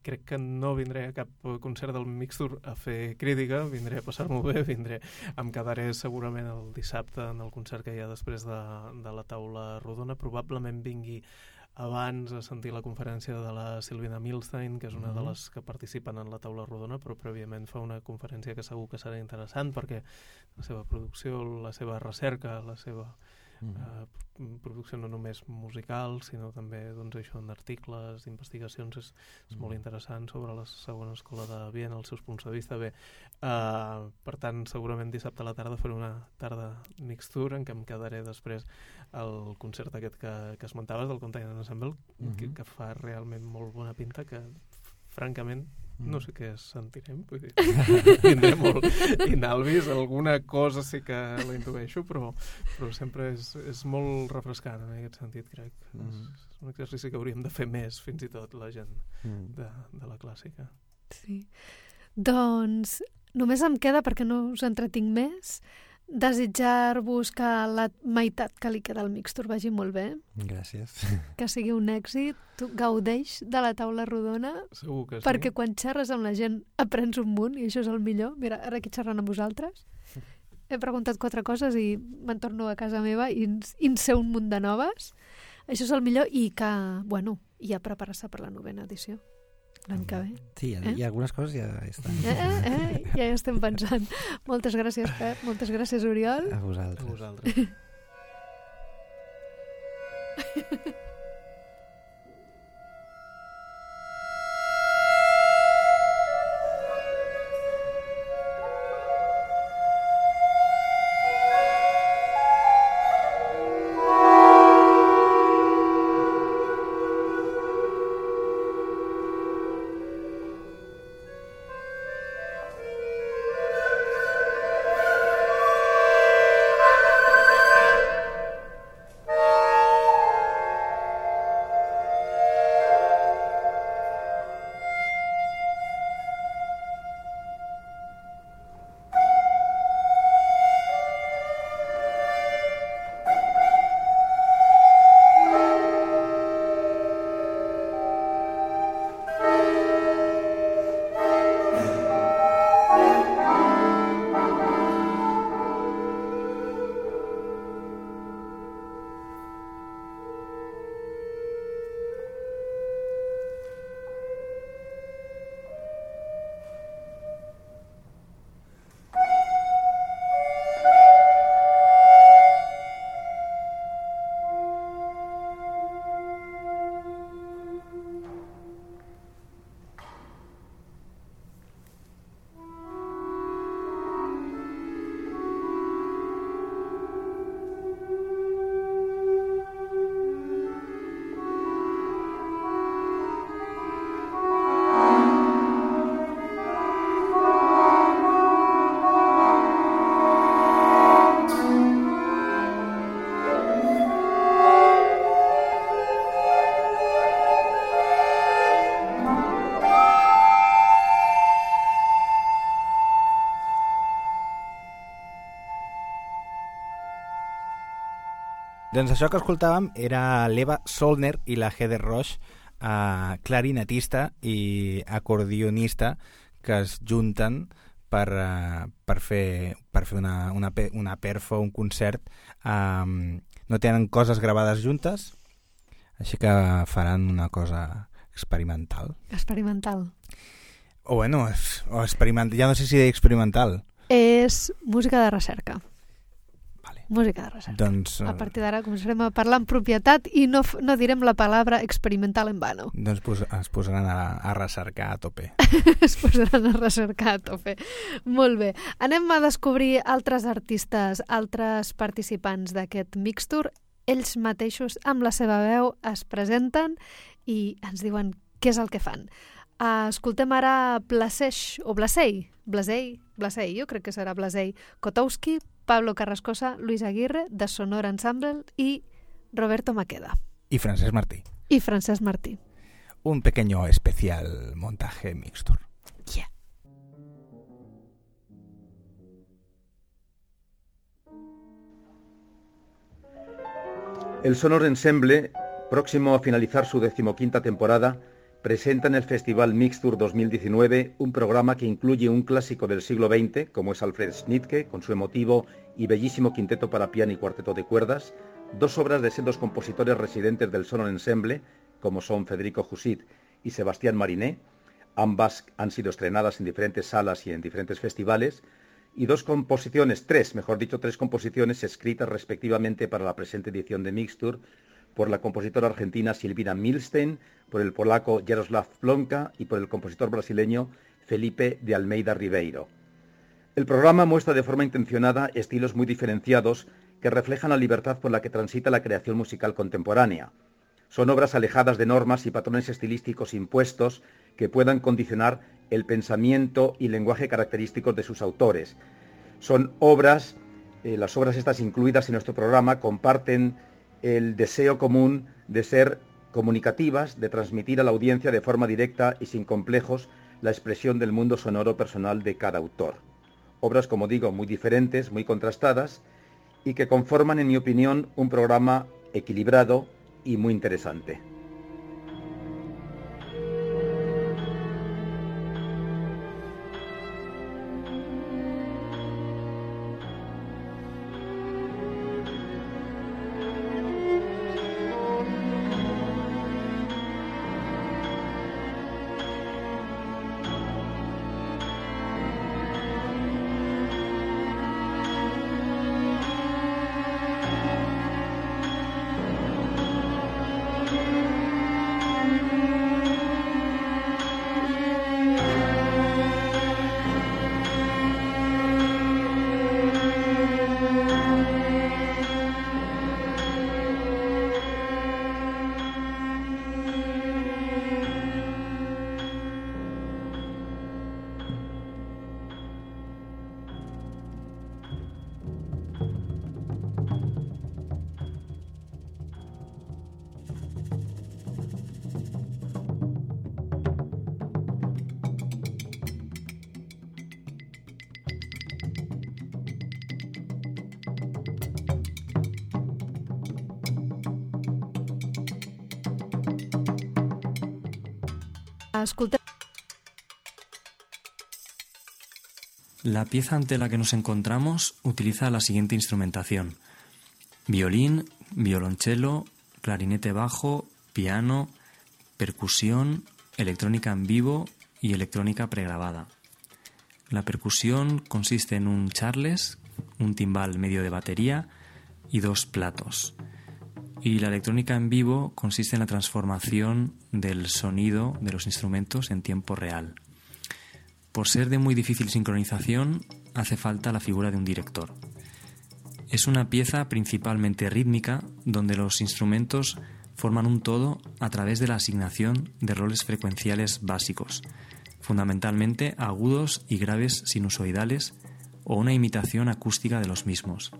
crec que no vindré a cap concert del Mixtur a fer crítica, vindré a passar-m'ho bé, vindré, em quedaré segurament el dissabte en el concert que hi ha després de, de la taula rodona, probablement vingui abans a sentir la conferència de la Silvina Milstein, que és una mm-hmm. de les que participen en la taula rodona, però prèviament fa una conferència que segur que serà interessant perquè la seva producció, la seva recerca, la seva mm-hmm. eh, producció no només musical, sinó també doncs, això en articles, investigacions, és, és mm-hmm. molt interessant sobre la segona escola de Viena, els seus punts de vista. Bé, eh, per tant, segurament dissabte a la tarda faré una tarda Mixtur en què em quedaré després el concert aquest que, que esmentaves del Container Ensemble, mm-hmm. que, que fa realment molt bona pinta, que francament no sé què sentirem, vull dir, vindré molt inalvis, alguna cosa sí que la intueixo, però, però sempre és, és molt refrescant en aquest sentit, crec. Mm. És, és un exercici que hauríem de fer més, fins i tot, la gent mm. de, de la clàssica. Sí. Doncs només em queda, perquè no us entretinc més, desitjar-vos que la meitat que li queda al Mixtur vagi molt bé. Gràcies. Que sigui un èxit. Tu gaudeix de la taula rodona. Segur que sí. Perquè quan xerres amb la gent aprens un munt i això és el millor. Mira, ara aquí xerrant amb vosaltres he preguntat quatre coses i me'n torno a casa meva i en sé un munt de noves. Això és el millor i que, bueno, ja preparar-se per la novena edició. L'any que ve. Sí, eh? I algunes coses ja estan. Eh, eh, eh, ja hi estem pensant. Moltes gràcies, Pep. Moltes gràcies, Oriol. A vosaltres. A vosaltres. Doncs això que escoltàvem era l'Eva Solner i la Heather Roche, eh, clarinetista i acordionista, que es junten per, eh, per fer, per fer una, una, una perfo, un concert. Eh, no tenen coses gravades juntes, així que faran una cosa experimental. Experimental. O bueno, o experimental, ja no sé si experimental. És música de recerca. Vale. Música de recerca. Doncs, a partir d'ara començarem a parlar en propietat i no, no direm la paraula experimental en vano. Doncs pos, es posaran a, a recercar a tope. Es posaran a recercar a tope. Molt bé. Anem a descobrir altres artistes, altres participants d'aquest Mixtour. Ells mateixos, amb la seva veu, es presenten i ens diuen què és el que fan. Uh, escoltem ara Blaseix, o Blasei, Blasei, Blasei, jo crec que serà Blasei, Kotowski, Pablo Carrascosa, Luis Aguirre, de Sonora Ensemble i Roberto Maqueda. Y Francesc Martí. Y Francesc Martí. Un pequeño especial montaje Mixtour. Yeah. El Sonora Ensemble, próximo a finalizar su decimoquinta temporada, presenta en el Festival Mixtour dos mil diecinueve un programa que incluye un clásico del siglo veinte, como es Alfred Schnittke, con su emotivo y bellísimo quinteto para piano y cuarteto de cuerdas, dos obras de sendos compositores residentes del Sonora Ensemble, como son Federico Jusit y Sebastián Mariné. Ambas han sido estrenadas en diferentes salas y en diferentes festivales, y dos composiciones, tres, mejor dicho, tres composiciones escritas respectivamente para la presente edición de Mixtour, por la compositora argentina Silvina Milstein, por el polaco Jaroslav Plonka y por el compositor brasileño Felipe de Almeida Ribeiro. El programa muestra de forma intencionada estilos muy diferenciados que reflejan la libertad por la que transita la creación musical contemporánea. Son obras alejadas de normas y patrones estilísticos impuestos que puedan condicionar el pensamiento y lenguaje característicos de sus autores. Son obras, eh, las obras estas incluidas en nuestro programa comparten el deseo común de ser comunicativas, de transmitir a la audiencia de forma directa y sin complejos la expresión del mundo sonoro personal de cada autor. Obras, como digo, muy diferentes, muy contrastadas y que conforman, en mi opinión, un programa equilibrado y muy interesante. Escoltem. La pieza ante la que nos encontramos utiliza la siguiente instrumentación: violín, violonchelo, clarinete bajo, piano, percusión, electrónica en vivo y electrónica pregrabada. La percusión consiste en un charles, un timbal medio de batería y dos platos. Y la electrónica en vivo consiste en la transformación del sonido de los instrumentos en tiempo real. Por ser de muy difícil sincronización, hace falta la figura de un director. Es una pieza principalmente rítmica, donde los instrumentos forman un todo a través de la asignación de roles frecuenciales básicos, fundamentalmente agudos y graves sinusoidales o una imitación acústica de los mismos.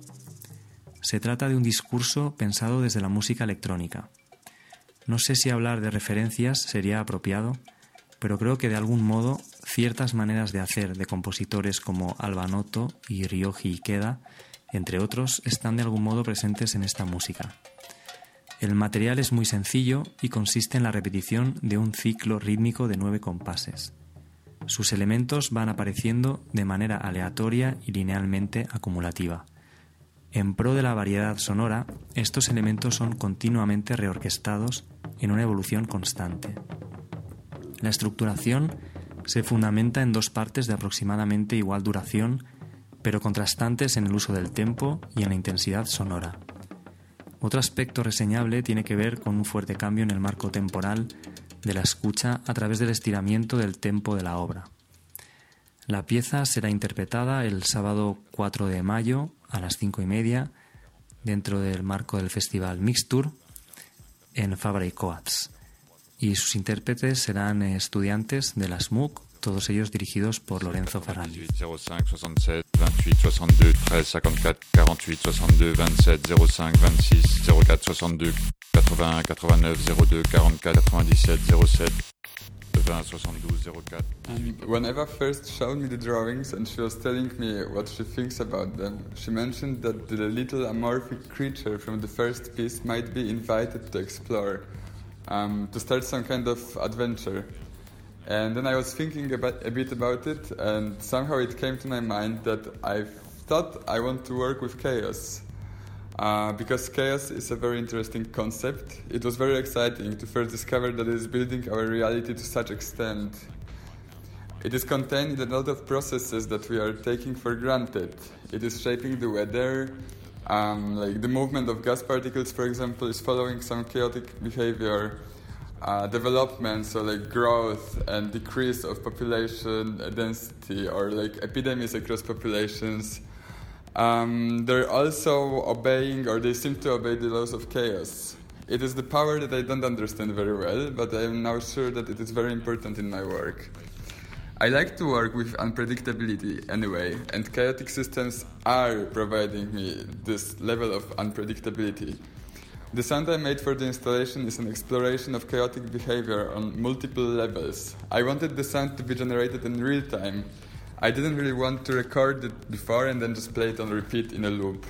Se trata de un discurso pensado desde la música electrónica. No sé si hablar de referencias sería apropiado, pero creo que de algún modo ciertas maneras de hacer de compositores como Alba Noto y Ryoji Ikeda, entre otros, están de algún modo presentes en esta música. El material es muy sencillo y consiste en la repetición de un ciclo rítmico de nueve compases. Sus elementos van apareciendo de manera aleatoria y linealmente acumulativa. En pro de la variedad sonora, estos elementos son continuamente reorquestados en una evolución constante. La estructuración se fundamenta en dos partes de aproximadamente igual duración, pero contrastantes en el uso del tempo y en la intensidad sonora. Otro aspecto reseñable tiene que ver con un fuerte cambio en el marco temporal de la escucha a través del estiramiento del tempo de la obra. La pieza será interpretada el sábado cuatro de mayo a las cinco y media dentro del marco del festival Mixture en Fabra y Coats, y sus intérpretes serán estudiantes de la S M U C, todos ellos dirigidos por Lorenzo Ferrandi. zéro cinco soixante-sept vingt-huit soixante-deux treize cinquante-quatre quarante-huit soixante-deux vingt-sept zéro cinq vingt-six zéro quatre soixante-deux quatre-vingts quatre-vingt-neuf zéro deux quarante-quatre quatre-vingt-dix-sept zéro sept vingt soixante-douze zéro quatre. And when Eva first showed me the drawings and she was telling me what she thinks about them, she mentioned that the little amorphic creature from the first piece might be invited to explore, um, to start some kind of adventure. And then I was thinking about, a bit about it, and somehow it came to my mind that I thought I want to work with chaos. Uh, because chaos is a very interesting concept. It was very exciting to first discover that it is building our reality to such extent. It is contained in a lot of processes that we are taking for granted. It is shaping the weather, um, like the movement of gas particles, for example, is following some chaotic behavior. Uh, development, so like growth and decrease of population density, or like epidemics across populations. Um, they're also obeying, or they seem to obey, the laws of chaos. It is the power that I don't understand very well, but I am now sure that it is very important in my work. I like to work with unpredictability anyway, and chaotic systems are providing me this level of unpredictability. The sound I made for the installation is an exploration of chaotic behavior on multiple levels. I wanted the sound to be generated in real time. I didn't really want to record it before and then just play it on repeat in a loop.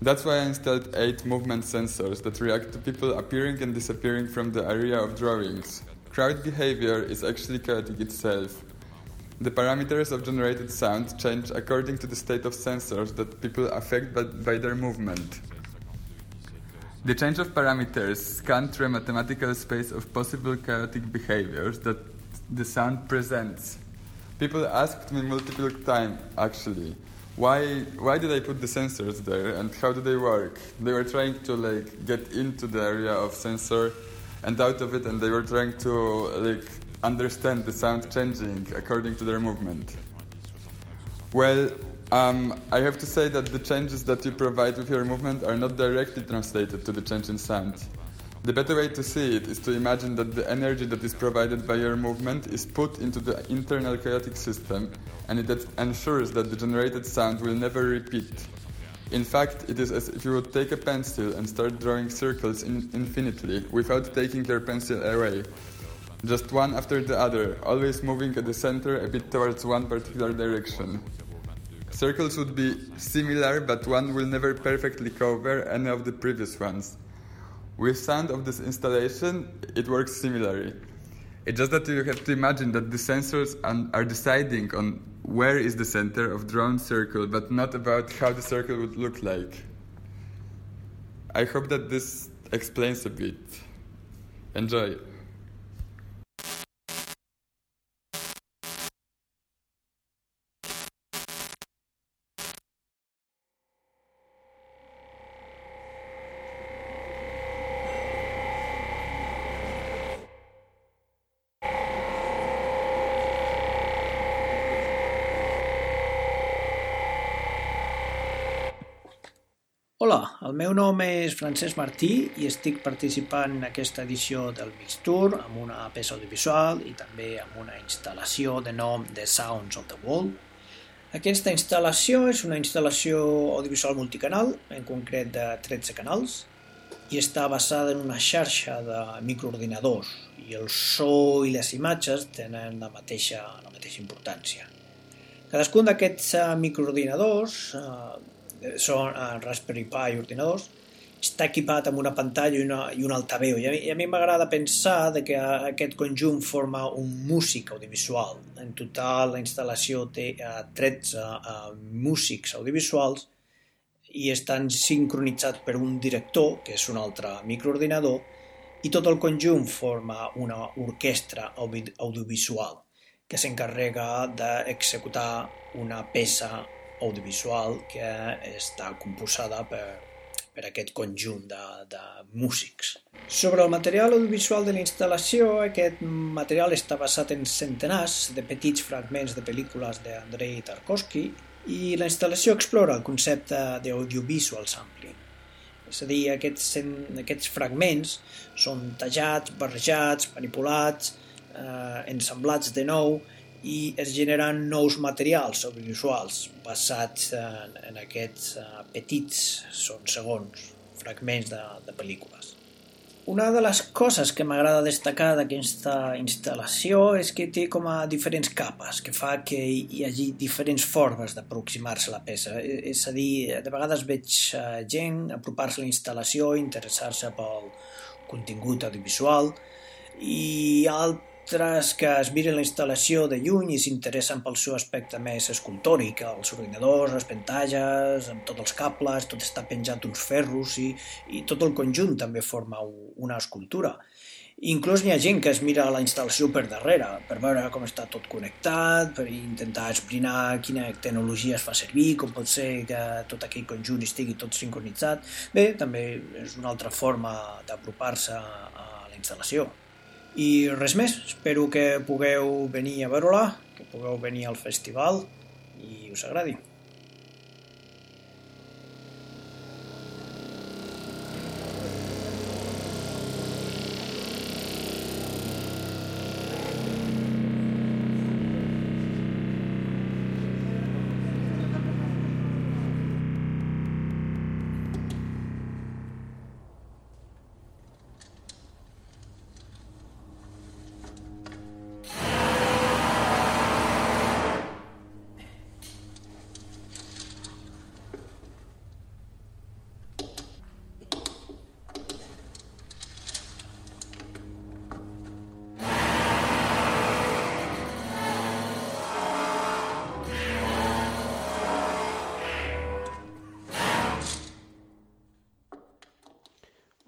That's why I installed eight movement sensors that react to people appearing and disappearing from the area of drawings. Crowd behavior is actually chaotic itself. The parameters of generated sound change according to the state of sensors that people affect by, by their movement. The change of parameters scan through a mathematical space of possible chaotic behaviors that the sound presents. People asked me multiple times, actually, why why did I put the sensors there and how do they work? They were trying to like get into the area of sensor and out of it, and they were trying to like understand the sound changing according to their movement. Well, Um, I have to say that the changes that you provide with your movement are not directly translated to the change in sound. The better way to see it is to imagine that the energy that is provided by your movement is put into the internal chaotic system, and it ensures that the generated sound will never repeat. In fact, it is as if you would take a pencil and start drawing circles in infinitely without taking your pencil away. Just one after the other, always moving at the center a bit towards one particular direction. Circles would be similar, but one will never perfectly cover any of the previous ones. With sound of this installation, it works similarly. It's just that you have to imagine that the sensors are deciding on where is the center of drone circle, but not about how the circle would look like. I hope that this explains a bit. Enjoy. Hola, el meu nom és Francesc Martí i estic participant en aquesta edició del Mixtour amb una peça audiovisual i també amb una instal·lació de nom The Sounds of the World. Aquesta instal·lació és una instal·lació audiovisual multicanal, en concret de tretze canals, i està basada en una xarxa de microordinadors i el so i les imatges tenen la mateixa, la mateixa importància. Cadascun d'aquests microordinadors eh, són Raspberry Pi ordinadors, està equipat amb una pantalla i, una, i un altaveu. I a mi, i a mi m'agrada pensar de que aquest conjunt forma un músic audiovisual. En total, la instal·lació té tretze uh, músics audiovisuals i estan sincronitzats per un director, que és un altre microordinador, i tot el conjunt forma una orquestra audi audiovisual que s'encarrega d'executar una peça audiovisual que està composada per, per aquest conjunt de, de músics. Sobre el material audiovisual de la instal·lació, aquest material està basat en centenars de petits fragments de pel·lícules d'Andrei Tarkovsky i la instal·lació explora el concepte d'audiovisual sampling. És a dir, aquests, aquests fragments són tallats, barrejats, manipulats, eh, ensamblats de nou i es generen nous materials audiovisuals basats en, en aquests uh, petits, són segons, fragments de, de pel·lícules. Una de les coses que m'agrada destacar d'aquesta instal·lació és que té com a diferents capes, que fa que hi hagi diferents formes d'aproximar-se a la peça. És a dir, de vegades veig uh, gent apropar-se a la instal·lació, interessar-se pel contingut audiovisual, i altres que es miren la instal·lació de lluny i s'interessen pel seu aspecte més escultòric, els ordinadors, les pantalles, amb tots els cables, tot està penjat uns ferros i, i tot el conjunt també forma una escultura. Inclús hi ha gent que es mira la instal·lació per darrere, per veure com està tot connectat, per intentar esbrinar quina tecnologia es fa servir, com pot ser que tot aquell conjunt estigui tot sincronitzat. Bé, també és una altra forma d'apropar-se a la instal·lació. I res més, espero que pugueu venir a veure-la, que pugueu venir al festival i us agradi.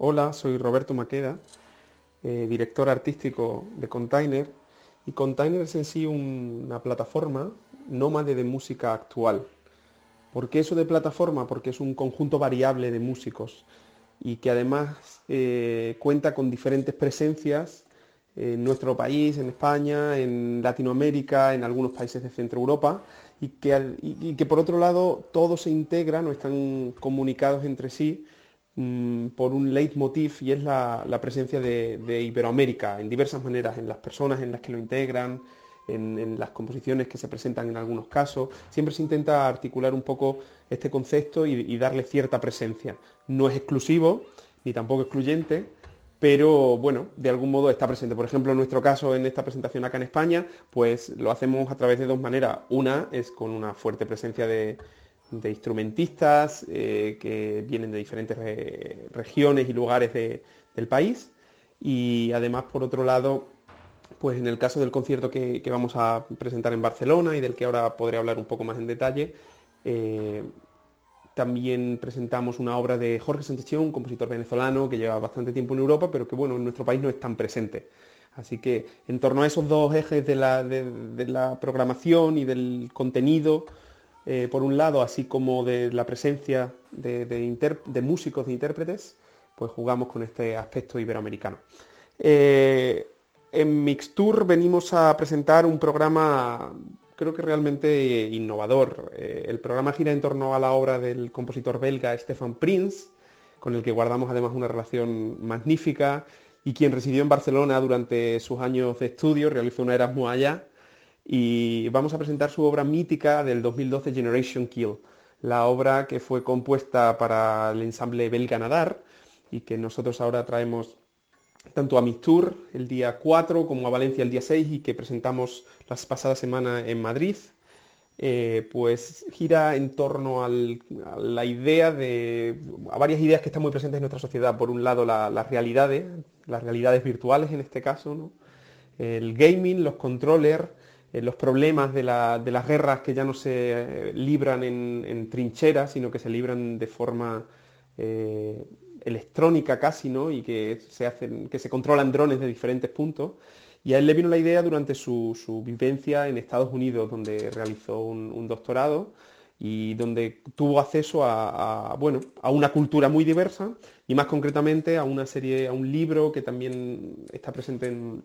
Hola, soy Roberto Maqueda, eh, director artístico de Container, y Container es en sí un, una plataforma nómade de música actual. ¿Por qué eso de plataforma? Porque es un conjunto variable de músicos y que además eh, cuenta con diferentes presencias en nuestro país, en España, en Latinoamérica, en algunos países de Centro Europa, y que, y, y que por otro lado todos se integran o están comunicados entre sí por un leitmotiv, y es la, la presencia de, de Iberoamérica en diversas maneras, en las personas en las que lo integran, en, en las composiciones que se presentan en algunos casos. Siempre se intenta articular un poco este concepto y, y darle cierta presencia. No es exclusivo, ni tampoco excluyente, pero bueno, de algún modo está presente. Por ejemplo, en nuestro caso, en esta presentación acá en España, pues lo hacemos a través de dos maneras. Una es con una fuerte presencia de de instrumentistas eh, que vienen de diferentes re regiones y lugares de, del país, y además, por otro lado, pues en el caso del concierto que, que vamos a presentar en Barcelona y del que ahora podré hablar un poco más en detalle, eh, también presentamos una obra de Jorge Sánchez Chión, un compositor venezolano que lleva bastante tiempo en Europa, pero que bueno, en nuestro país no es tan presente. Así que en torno a esos dos ejes de la, de, de la programación y del contenido, eh, por un lado, así como de la presencia de, de, inter, de músicos, de intérpretes, pues jugamos con este aspecto iberoamericano. Eh, en Mixtour venimos a presentar un programa, creo que realmente innovador. Eh, el programa gira en torno a la obra del compositor belga Stefan Prince, con el que guardamos además una relación magnífica, y quien residió en Barcelona durante sus años de estudio, realizó un Erasmus allá, y vamos a presentar su obra mítica del dos mil doce, Generation Kill, la obra que fue compuesta para el ensamble belga Nadar, y que nosotros ahora traemos tanto a Mixtour el día cuatro como a Valencia el día seis, y que presentamos la pasada semana en Madrid. Eh, pues gira en torno al, a la idea de, a varias ideas que están muy presentes en nuestra sociedad. Por un lado, la, las realidades, las realidades virtuales en este caso, ¿no? El gaming, los controllers, eh, los problemas de, la, de las guerras que ya no se eh, libran en, en trincheras, sino que se libran de forma eh, electrónica casi, ¿no? Y que se hacen, que se controlan drones de diferentes puntos. Y a él le vino la idea durante su, su vivencia en Estados Unidos, donde realizó un, un doctorado y donde tuvo acceso a, a, bueno, a una cultura muy diversa, y más concretamente a una serie, a un libro que también está presente en,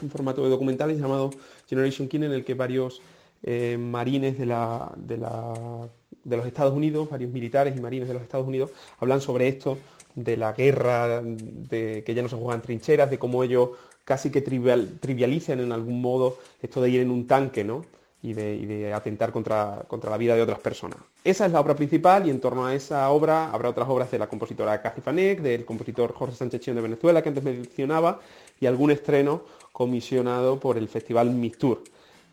en formato de documentales llamado Generation Kill, en el que varios eh, marines de, la, de, la, de los Estados Unidos, varios militares y marines de los Estados Unidos, hablan sobre esto, de la guerra, de que ya no se juegan trincheras, de cómo ellos casi que trivial, trivialicen en algún modo esto de ir en un tanque, ¿no? Y de, y de atentar contra, contra la vida de otras personas. Esa es la obra principal, y en torno a esa obra habrá otras obras de la compositora Cathy Fanek, del compositor Jorge Sánchez Chión de Venezuela, que antes mencionaba, y algún estreno comisionado por el Festival Mixtour.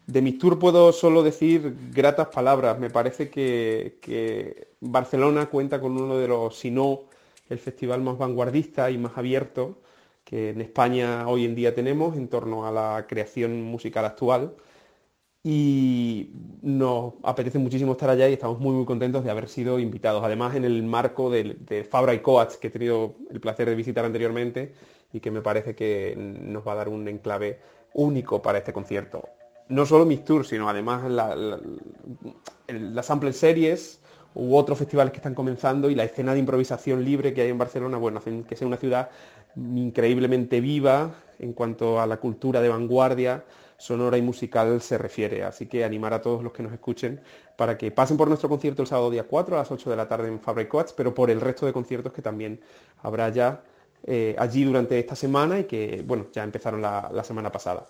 De Mixtour puedo solo decir gratas palabras. Me parece que, que Barcelona cuenta con uno de los, si no el festival más vanguardista y más abierto que en España hoy en día tenemos en torno a la creación musical actual, y nos apetece muchísimo estar allá y estamos muy muy contentos de haber sido invitados, además en el marco de, de Fabra y Coats, que he tenido el placer de visitar anteriormente y que me parece que nos va a dar un enclave único para este concierto. No solo Mixtour, sino además la, la, las Sample Series u otros festivales que están comenzando, y la escena de improvisación libre que hay en Barcelona, bueno, hacen que sea una ciudad increíblemente viva en cuanto a la cultura de vanguardia sonora y musical se refiere. Así que animar a todos los que nos escuchen para que pasen por nuestro concierto el sábado día cuatro a las ocho de la tarde en Fabra y Coats, pero por el resto de conciertos que también habrá ya eh, allí durante esta semana, y que, bueno, ya empezaron la, la semana pasada.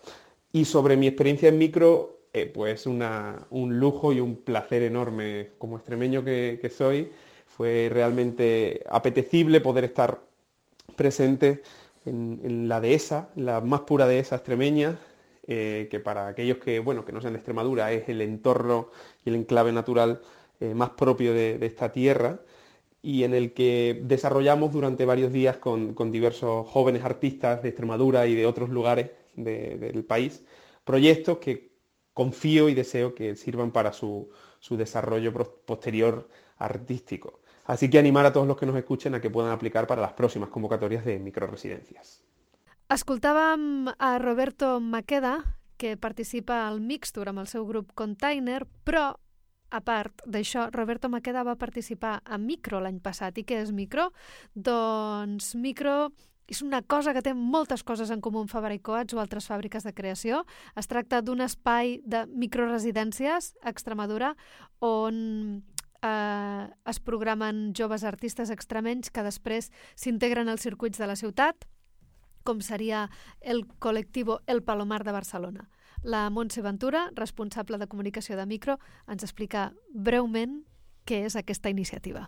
Y sobre mi experiencia en micro, eh, pues una, un lujo y un placer enorme. Como extremeño que, que soy, fue realmente apetecible poder estar presente en, en la dehesa, la más pura dehesa extremeña, eh, que para aquellos que, bueno, que no sean de Extremadura, es el entorno y el enclave natural eh, más propio de, de esta tierra, y en el que desarrollamos durante varios días con, con diversos jóvenes artistas de Extremadura y de otros lugares de, del país, proyectos que confío y deseo que sirvan para su, su desarrollo posterior artístico. Así que animar a todos los que nos escuchen a que puedan aplicar para las próximas convocatorias de microresidencias. Escoltàvem a Roberto Maqueda, que participa al Mixtour amb el seu grup Container, però, a part d'això, Roberto Maqueda va participar a Micro l'any passat. I què és Micro? Doncs Micro és una cosa que té moltes coses en comú amb Fabra i Coats o altres fàbriques de creació. Es tracta d'un espai de microresidències a Extremadura on eh, es programen joves artistes extremenys que després s'integren als circuits de la ciutat, com seria el col·lectiu El Palomar de Barcelona. La Montse Ventura, responsable de comunicació de Micro, ens explica breument què és aquesta iniciativa.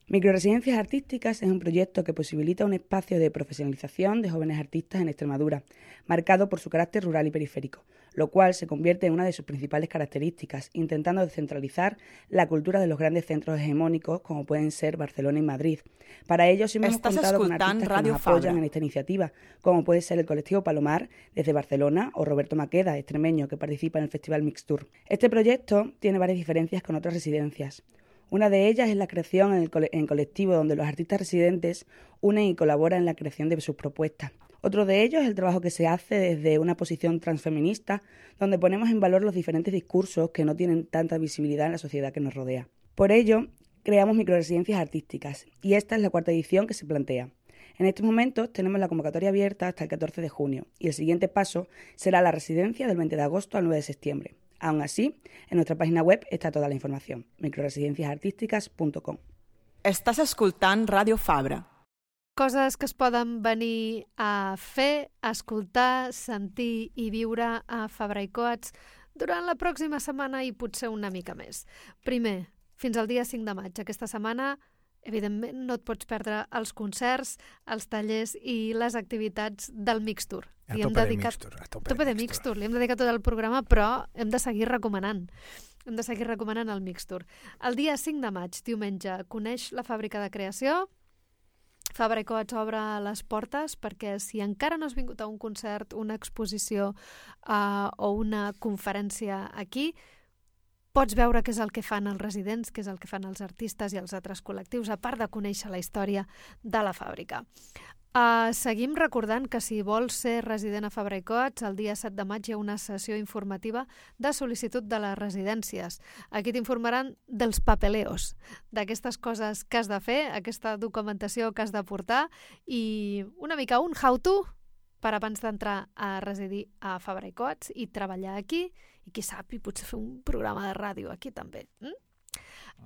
Microresidencias Artísticas es un proyecto que posibilita un espacio de profesionalización de jóvenes artistas en Extremadura, marcado por su carácter rural y periférico, lo cual se convierte en una de sus principales características, intentando descentralizar la cultura de los grandes centros hegemónicos como pueden ser Barcelona y Madrid. Para ello sí hemos contado con artistas que nos apoyan en esta iniciativa, como puede ser el colectivo Palomar desde Barcelona o Roberto Maqueda, extremeño, que participa en el Festival Mixtur. Este proyecto tiene varias diferencias con otras residencias. Una de ellas es la creación en el cole- en colectivo, donde los artistas residentes unen y colaboran en la creación de sus propuestas. Otro de ellos es el trabajo que se hace desde una posición transfeminista, donde ponemos en valor los diferentes discursos que no tienen tanta visibilidad en la sociedad que nos rodea. Por ello, creamos microresidencias artísticas, y esta es la cuarta edición que se plantea. En estos momentos tenemos la convocatoria abierta hasta el catorce de junio, y el siguiente paso será la residencia del veinte de agosto al nueve de septiembre. Aún así, en nuestra página web está toda la información, microresidencias artísticas punto com. Estàs escoltant Ràdio Fabra. Coses que es poden venir a fer, a escoltar, sentir i viure a Fabra i Coats durant la pròxima setmana i potser una mica més. Primer, fins al dia cinc de maig. Aquesta setmana, evidentment, no et pots perdre els concerts, els tallers i les activitats del Mixtur. A Li hem tope de dedicat... Mixtur, a tope, tope de de Mixtur. Li hem dedicat tot el programa, però hem de seguir recomanant. Hem de seguir recomanant el Mixtur. El dia cinc de maig, diumenge, coneix la fàbrica de creació. Fabra i Coats obre les portes perquè si encara no has vingut a un concert, una exposició uh, o una conferència aquí, pots veure què és el que fan els residents, què és el que fan els artistes i els altres col·lectius, a part de conèixer la història de la fàbrica. Uh, seguim recordant que si vols ser resident a Fabra i Coats, el dia set de maig hi ha una sessió informativa de sol·licitud de les residències. Aquí t'informaran dels papeleos, d'aquestes coses que has de fer, aquesta documentació que has de portar i una mica un how-to per abans d'entrar a residir a Fabra i Coats i treballar aquí i qui sap, i potser fer un programa de ràdio aquí també. Mm?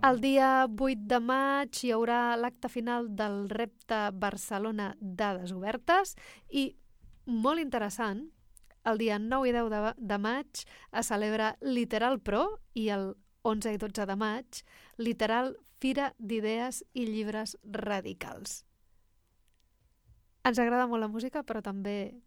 El dia vuit de maig hi haurà l'acte final del repte Barcelona Dades Obertes i, molt interessant, el dia nou i deu de, de maig es celebra Literal Pro i el onze i dotze de maig Literal Fira d'Idees i Llibres Radicals. Ens agrada molt la música, però també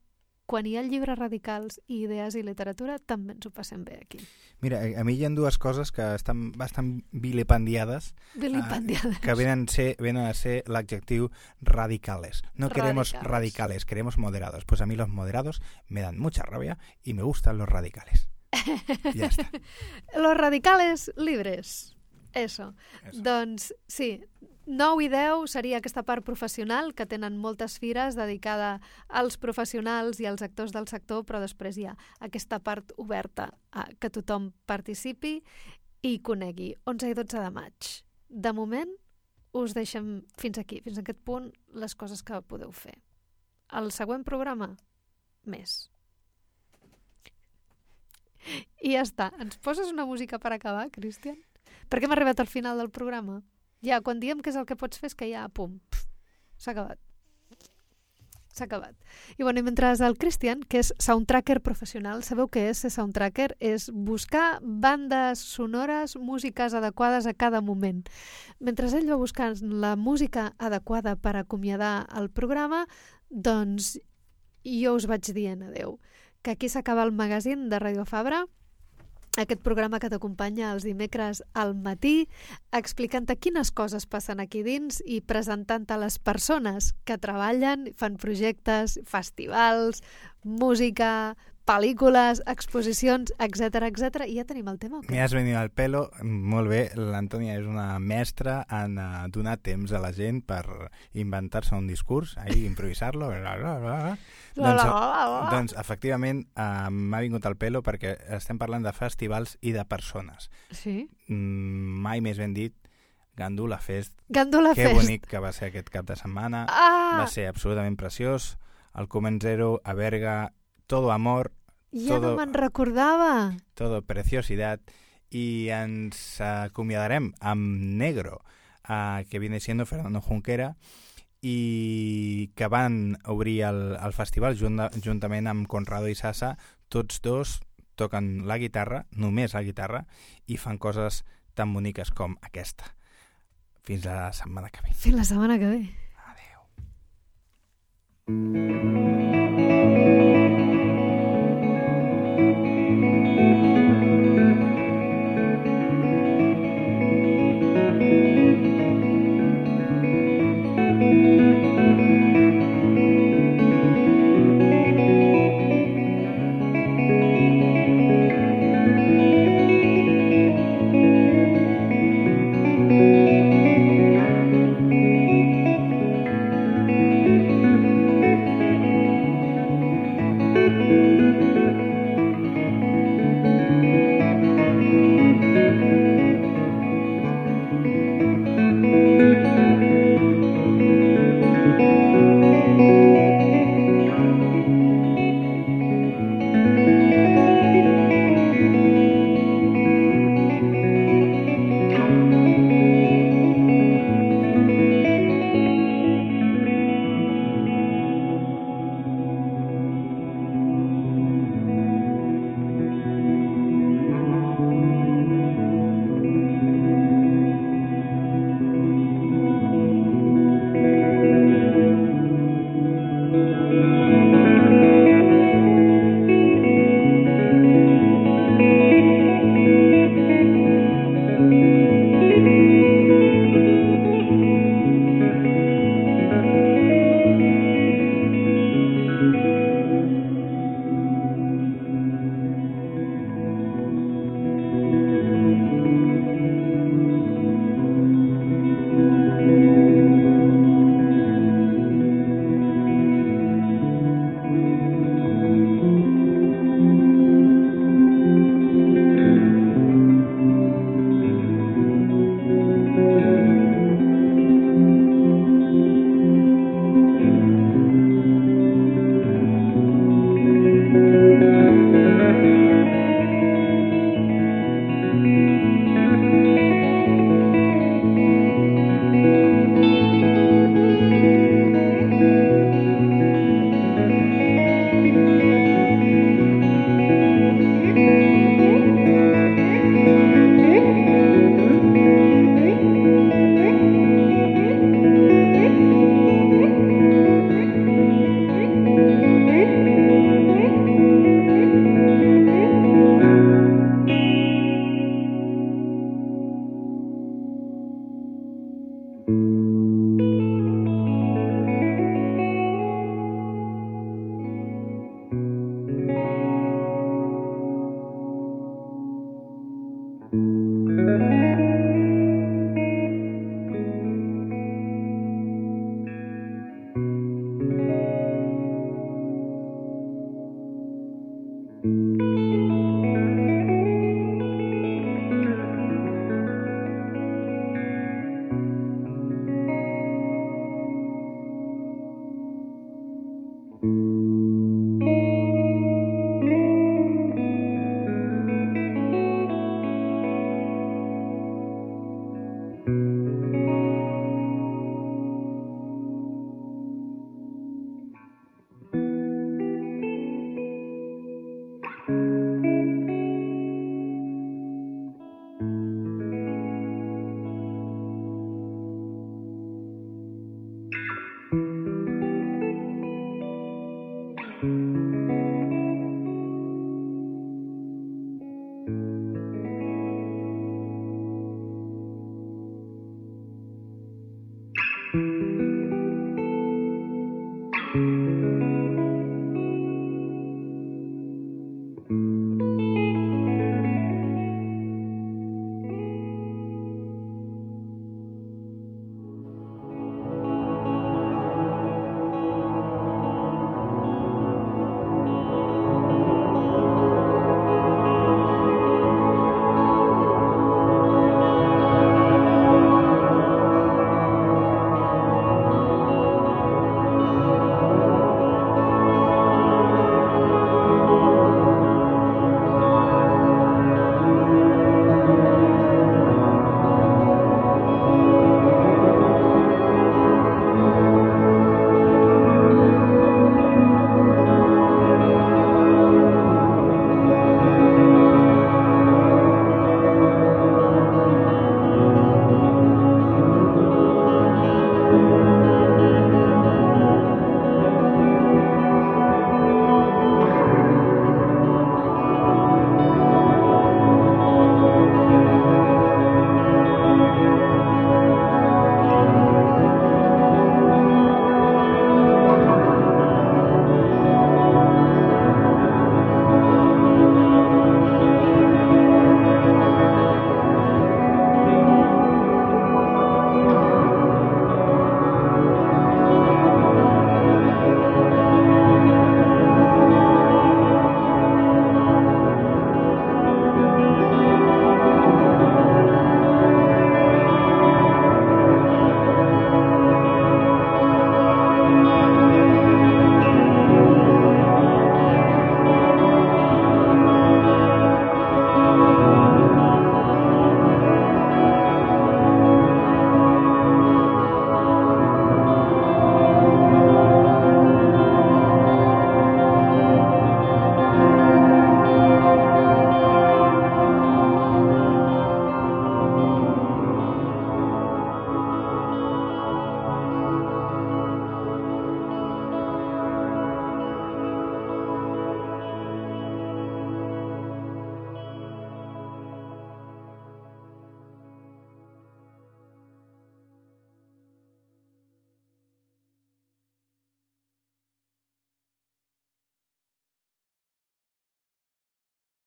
quan hi ha llibres radicals i idees i literatura, també ens ho passem bé aquí. Mira, a mi hi ha dues coses que estan bastant vilipendiades, Vilipendiades. eh, que venen, ser, venen a ser l'adjectiu radicales. No queremos radicales. radicales, queremos moderados. Pues a mí los moderados me dan mucha rabia y me gustan los radicales. Ya está. Los radicales libres. Eso. Eso. Doncs sí, nou i deu seria aquesta part professional, que tenen moltes fires dedicada als professionals i als actors del sector, però després hi ha aquesta part oberta a que tothom participi i conegui. onze i dotze de maig. De moment, us deixem fins aquí, fins a aquest punt, les coses que podeu fer. El següent programa, més. I ja està. Ens poses una música per acabar, Cristian? Per què hem arribat al final del programa? Ja, quan diem què és el que pots fer és que ja, pum, s'ha acabat. S'ha acabat. I bueno, i mentre el Cristian, que és soundtracker professional, sabeu què és ser soundtracker? És buscar bandes sonores, músiques adequades a cada moment. Mentre ell va buscant la música adequada per acomiadar el programa, doncs jo us vaig dient adeu. Que aquí s'acaba el magazín de Ràdio Fabra, aquest programa que t'acompanya els dimecres al matí, explicant-te quines coses passen aquí dins i presentant-te les persones que treballen, fan projectes, festivals, música, pel·lícules, exposicions, etcètera, etcètera. I ja tenim el tema. Me has venido al pelo. Molt bé, l'Antònia és una mestra en uh, donar temps a la gent per inventar-se un discurs, ahí improvisar-lo. Bla, bla, bla. Doncs, doncs, efectivament, uh, m'ha vingut al pelo perquè estem parlant de festivals i de persones. Sí. Mm, mai més ben dit, Gandula Fest. Gandula que Fest. Que bonic que va ser aquest cap de setmana. Ah! Va ser absolutament preciós. El Comen Zero, a Berga, todo amor. Ja todo, no me'n recordava. Todo preciosidad. I ens acomiadarem amb Negro, uh, que viene siendo Fernando Junquera, i que van obrir el, el festival junt, juntament amb Conrado i Sasa. Tots dos toquen la guitarra, només la guitarra, i fan coses tan boniques com aquesta. Fins la setmana que ve. Fins la setmana que ve. Adeu.